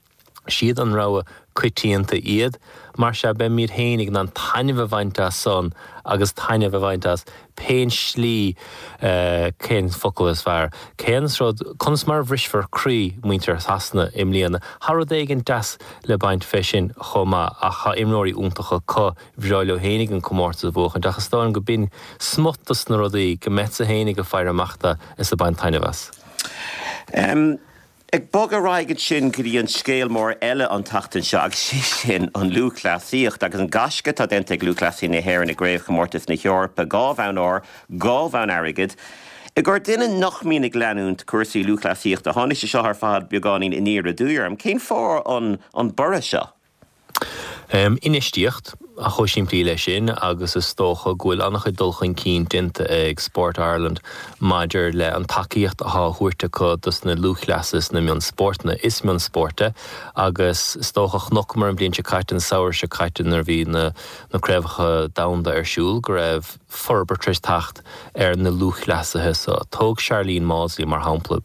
[SPEAKER 9] Siad an rogha coitianta iad. Mar sea, beimid fhéinig in ann taitneamh a bhaint as san agus taitneamh a bhaint as pén slí, cén focal is fearr, cén rud, conas mar a bhrisfear croí muintir Shasana i mbliana. Tá rud éigin deas le baint fé sin chomh maith ach tá imreoirí iontacha acu, bhreá leo fhéinig an comórtas a bhuachaint ach is dóigh liom go b'in smut dos na rudaí go mbeadsa fhéinig ag faire amach dó is ag baint taitneamh as.
[SPEAKER 1] Ag bogadh ar aghaidh ansin go dtí an scéal mór eile an tseachtain seo agus sé sin an lúthchleasaíocht agus an gaisce atá déanta ag lúthchleasaithe na hÉireann i gCraobhchomórtas na hEorpa, dhá bhonn óir, dhá bhonn airgid. I gcomhair duine nach mbíonn ag leanúint cúrsaí lúthchleasaíochta, tháinig sé seo ar fad beagáinín aniar aduaidh orm. Cén fáth an an borradh seo?
[SPEAKER 9] Infheistíocht, chomh simplí leis sin, agus is dócha go bhfuil an-chuid dul chun cinn déanta ag Sport Ireland maidir le an tacaíocht atá á thabhairt acu dos na lúthchleasaithe sna mionspórtanna. Is mionspórt é agus is dócha chonaiceamar an bhliain seo caite, an samhradh seo caite nuair a bhí na na craobhacha domhanda ar siúl go raibh forbairt tar éis teacht ar na lúthchleasaithe so. Tóg Sharlene Mawdsley mar shampla,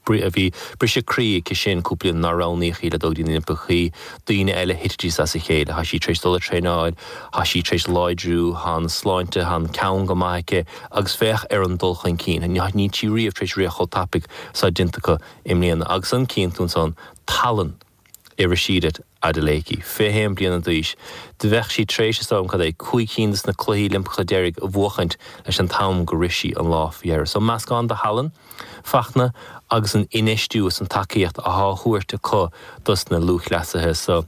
[SPEAKER 9] bhí briseadh croí aici sin cúpla bliain nár roghnaíodh í le dul go dtí na Oilimpeachaí, daoine eile thitidís as a chéile, tá sí tar éis dul ag traenáil, tá sí tar éis láidriú, tá an sláinte, tá an ceann go maith aici agus féach ar an dul chun cinn, níl sí riamh tar éis rith chomh tapaidh is atá déanta acu i mbliana agus an cíonn tú ansan tallann i Rhasidat Adeleke, fiche haon bliana d'aois. Do bheadh sí tar éis, is dóigh liom, cad é, cúig cinn de na Cluichí Oilimpeacha deiridh a bhuachaint leis an t-am gur rith sí an lá faoi dheireadh. So meascán de thallann, Fachtna, agus an infheistiú is an tacaíocht athá á thabhairt acu dos na lúthchleasaithe. So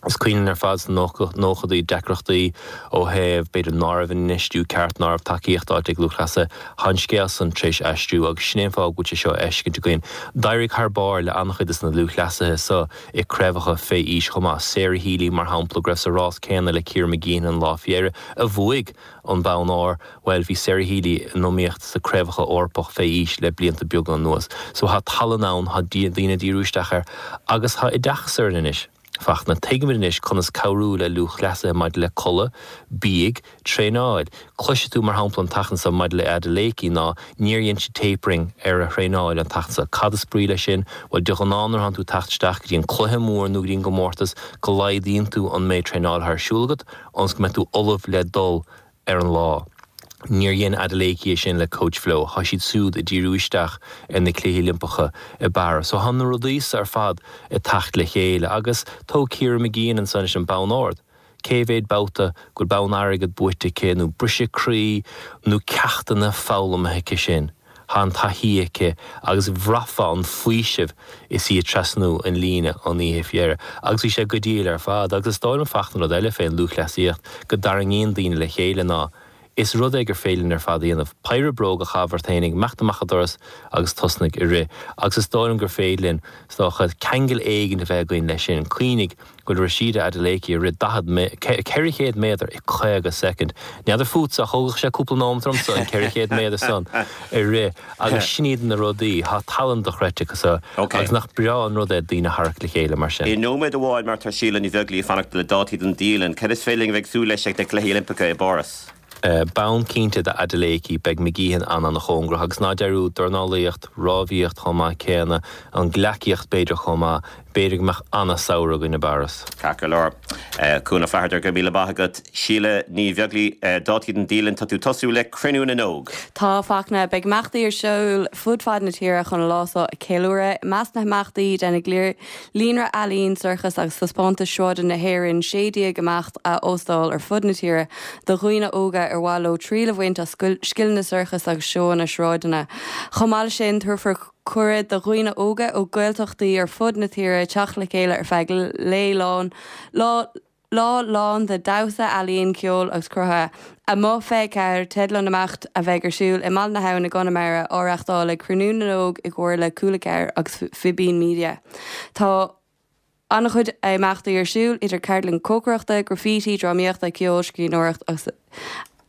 [SPEAKER 9] is cuimhin linn ar fad sna nóchadaí deacrachtaí ó thaobh, b'fhéidir, ná raibh an infheistiú ceart, ná raibh tacaíocht faighte ag lúthchleasaithe. Tá an scéal san tar éis aistriú agus sin é an fáth go bhfuil sé seo á fheiscint againn. D'éirigh thar barr le an-chuid de na lúthchleasaithe so i craobhacha fé aois chomh maith. Sarah Healy, mar shampla, go raibh sa rás céanna le Ciara Mageean an lá faoi dheireadh, a bhuaigh an bonn óir, bhuel, bhí Sarah Healy in iomaíocht sa craobhacha Eorpach fé aois le blianta beaga anuas. So tá tallann ann, tá daoine ag díriú isteach air agus tá oideachas orainn anois. Fachtna, tuigimid anois conas cabhrú le lúthchleasaithe maidir le codladh, bídh, traenáil. Cloisfidh tú, mar shampla, an tseachtain seo maidir le Adeleke ná níor dhein sí tapering ar a thraenáil an tseachtain seo. Cad is brí leis sin? Bhuel, de ghnáth nuair atánn tú ag teacht isteach go dtí an cluiche mór nó go dtí an gcomórtas go laghdaíonn tú an méid traenála atá ar siúl agat ionas go mbeidh tú ullamh le dul ar an lá. Níor dhein Adeleke é sin le Coach Flo. Tá siad siúd ag díriú isteach ar na Cluichí Oilimpeacha i bParis. So tá na rudaí so ar fad ag teacht le chéile. Agus tóg Ciara Mageean ansan leis an bonn ard. Cé mhéad babhta go bhfuil bonn airgid buaite aici nó briseadh croí nó ceachtanna foghlamtha aici sin? Tá an taithí aici agus bhraithfeá an faoiseamh is í ag trasnú an líne an oíche faoi dheireadh. Agus bhí sé go diail ar fad. Agus is dóigh liom Fachtna rud eile fén lúthchleasaíocht go dtarraingíonn daoine le chéile ná is rud é gur féidir linn ar fad a dhéanamh. Péire bróg a chaitheamh ort fhéinig, imeacht amach an doras agus tosnaigh ag rith. Agus is dóigh liom gur féidir linn, is dócha, ceangal éigin a bheith againn leis sin. Cuimhnigh go bhfuil Rhasidat Adeleke ag rith daichead, ceithre chéad méadar i caoga soicind. N'fheadar fútsa, ach thógfadh sé cúpla nóimeat ormsa an ceithre chéad méadar san a rith. Agus sin iad na rudaí, tá tallann dochreidte acu so agus nach breá an rud é daoine a tharrac le chéile mar sin.
[SPEAKER 1] I nóiméad amháin, mar tá Síle Ní Bheaglaoí ag fanacht le dátaí don dialann, cad is féidir linn a bheith ag súil leis ag na Cluichí Oilimpeacha i bPáras?
[SPEAKER 9] Bonn cinnte do Adeleke, beidh McGeehan an-an-chóngarach agus ná dearúd dornálaíocht, rámhaíocht chomh maith céanna, an gleacaíocht b'fhéidir chomh maith, b'fhéidir go mbeadh an-samhradh againn i bPáras.
[SPEAKER 1] Ceart go leor. Cuan Ó Flatharta, go raibh míle maith agat. Síle Ní Bheaglaoí, dátaí don dialann, tá tú tosú le Cruinniú na nÓg.
[SPEAKER 10] Tá, Fachtna. Beidh imeachtaí ar siúl fud fad na tíre chun an lá seo a cheiliúradh. I measc na himeachtaí, déanfaidh Líonra Ealaíon, Sorcas agus Taispeántais Sráide na hÉireann sé déag imeacht a óstáil ar fud na tíre do dhaoine óga ar mhaith leo triail a bhaint as scileanna sorcais agus seóanna sráideanna. Chomh maith leis sin, tabharfar cuireadh do dhaoine óga ó Ghaeltachtaí ar fud na tíre teacht le chéile ar feadh lae lán lá lá lán de dhamhsa, ealaíon, ceol agus cruthaithe. Amuigh fiche ceathair teideal an imeacht a bheidh ar siúl i mBaile na hAbhann i gConamara, á reáchtáil ag Cruinniú na nÓg i gcomhar le Cúla ceathair agus Fibín Media. Tá an-chuid imeachtaí ar siúl, idir ceardlann cócaireachta, graffiti, drámaíochta, ceol, scríbhneoireacht agus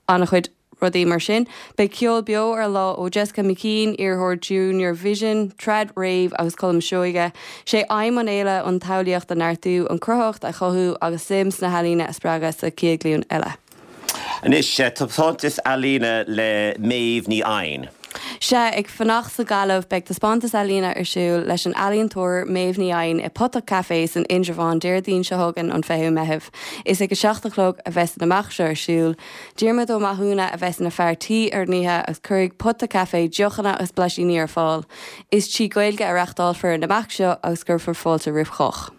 [SPEAKER 10] an-chuid rudaí mar sin. Beidh ceol beo ar an lá ó Jessica McKean, iarrthóir Junior Vision, Trad Rave agus Colm Seoige. Sé aidhm an fhéile an tsamhlaíocht a neartú, an chruthaitheacht a chothú agus suim sna healaíona a spreagadh sa chéad ghlúin eile.
[SPEAKER 1] Anois, taispeántas ealaíne le Méabh Ní Eidhin.
[SPEAKER 10] Sea, ag fanacht sa Ghaillimh, beidh taispeántas ealaíne ar siúl leis an ealaíontóir Méabh Ní Eidhin i Potach Café san Indreabhán Déardaoin seo chugainn, an fichiú Meitheamh. Is ag a seacht a chlog a bheas an imeacht seo ar siúl. Diarmuid Ó Mathúna a bheas ina fear tí ar an oíche agus cuirfidh Potach Café deochanna agus blaisíní ar fáil. Is trí Ghaeilge a reáchtálfar an imeacht seo agus cuirfear fáilte roimh chách.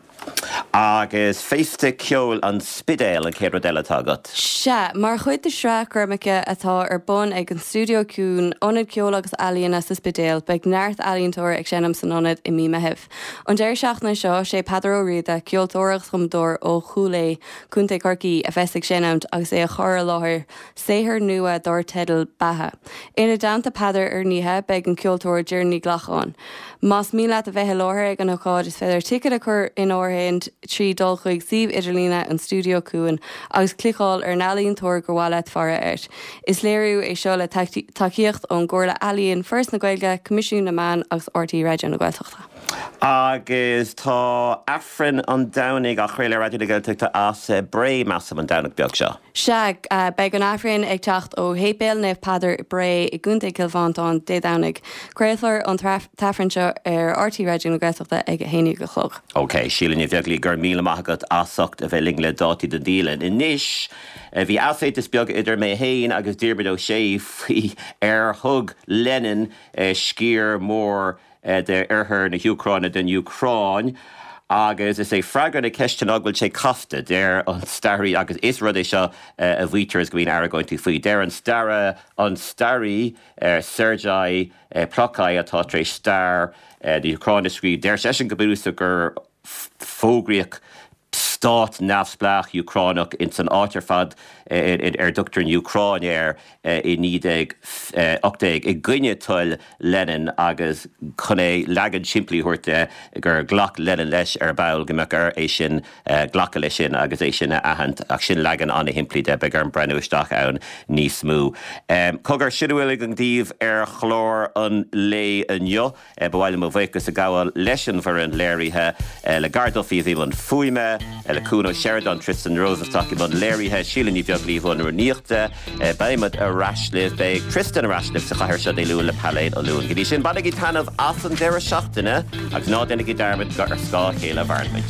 [SPEAKER 1] Agus Féasta Ceoil an Spidéil an chéad rud eile atá agat.
[SPEAKER 10] Sea, mar chuid de shraith gormacha atá ar bun ag an Stiúideo Ciúin, ionad ceoil agus ealaíona sa Spidéal, beidh neart ealaíontóirí ag seinm san ionad i mí Meithimh. An deireadh seachtaine seo, sé Peadar Ó Riada, ceoltóir agus cumadóir ó Chúil Aodha, Contae Chorcaí, a bheas ag seinm agus é ag cur i láthair saothar nua dar teideal 'Beatha'. Ina dteannta Peadar ar an oíche, beidh an ceoltóir Doireann Ní Ghlacáin. Más mian leat a bheith i láthair ag an ócáid, is féidir ticéad a chur in áirithint trí dul chuig suíomh idirlíne an Stiúideo Ciúin agus cliceáil ar an ealaíontóir gur mhaith leat faire air. Is léiriú é seo le tacaíocht ón gComhairle Ealaíon, Foras na Gaeilge, Coimisiún na Meán agus R T Raidió na Gaeltachta.
[SPEAKER 1] Agus tá Aifreann an Domhnaigh á chraoladh ar Raidió na Gaeltachta as Bré, measaim, an Domhnach beag seo.
[SPEAKER 10] Sea, beidh an Aifreann ag teacht ó Shéipéal Naomh Peadar i Bré i gContae Chill Mhantáin Dé Domhnaigh. Craolfar an t-Aifreann seo ar R T Raidió na Gaeltachta ag a haon déag a chlog.
[SPEAKER 1] Ok, Síle Ní Bheaglaoí, go raibh míle maith agat as ucht a bheith linn le dátaí don dialann. Anois, bhí easaontas beag idir mé féin agus Diarmuid Ó Sé faoi ar thug Lenin sciar mór d'oirthear na hÚcráine don Úcráin agus is é freagra na ceiste ná go bhfuil sé casta, deir an staraí agus is rud é seo a mhaítear is go mbíonn argóintí faoi. Deir an stara an staraí Sergei Plokhy atá tar éis stair na hÚcráine a scríobh, deir seisean go bunúsach gur fógraíodh stát neamhspleách Úcránach ins an áit ar fad ar dtugtar an Úcráin air i naoi déag ocht déag i gcoinne toil Lenin agus chun é leagan simplí a thabhairt de gur ghlac Lenin leis ar ball go mbeadh air é sin glacadh leis sin agus é sin a aithint ach sin leagan an-shimplí de, beidh orm breathnú isteach ann níos mó. Cogar, sin a bhfuil againn daoibh ar chlár an lae inniu. Ba mhaith liom mo bhuíochas a ghabháil leis an bhfoireann léirithe, le Gar Duffy a bhí i mbun fuaime, le Cuan Ó Seireadáin, Tristan Rosenstock i mbun léirithe, Síle Ní Bheaglaoí i mbun rúnaíochta. Beidh muid ar ais libh, beidh Tristan ar ais libh sa chathair seo Dé Luain le Pailéad Ó Luain. Go dtí sin, bainigí taitneamh as an deireadh seachtaine agus ná déanaigí dearmad gur ar scáth a chéile a mhaireann muid.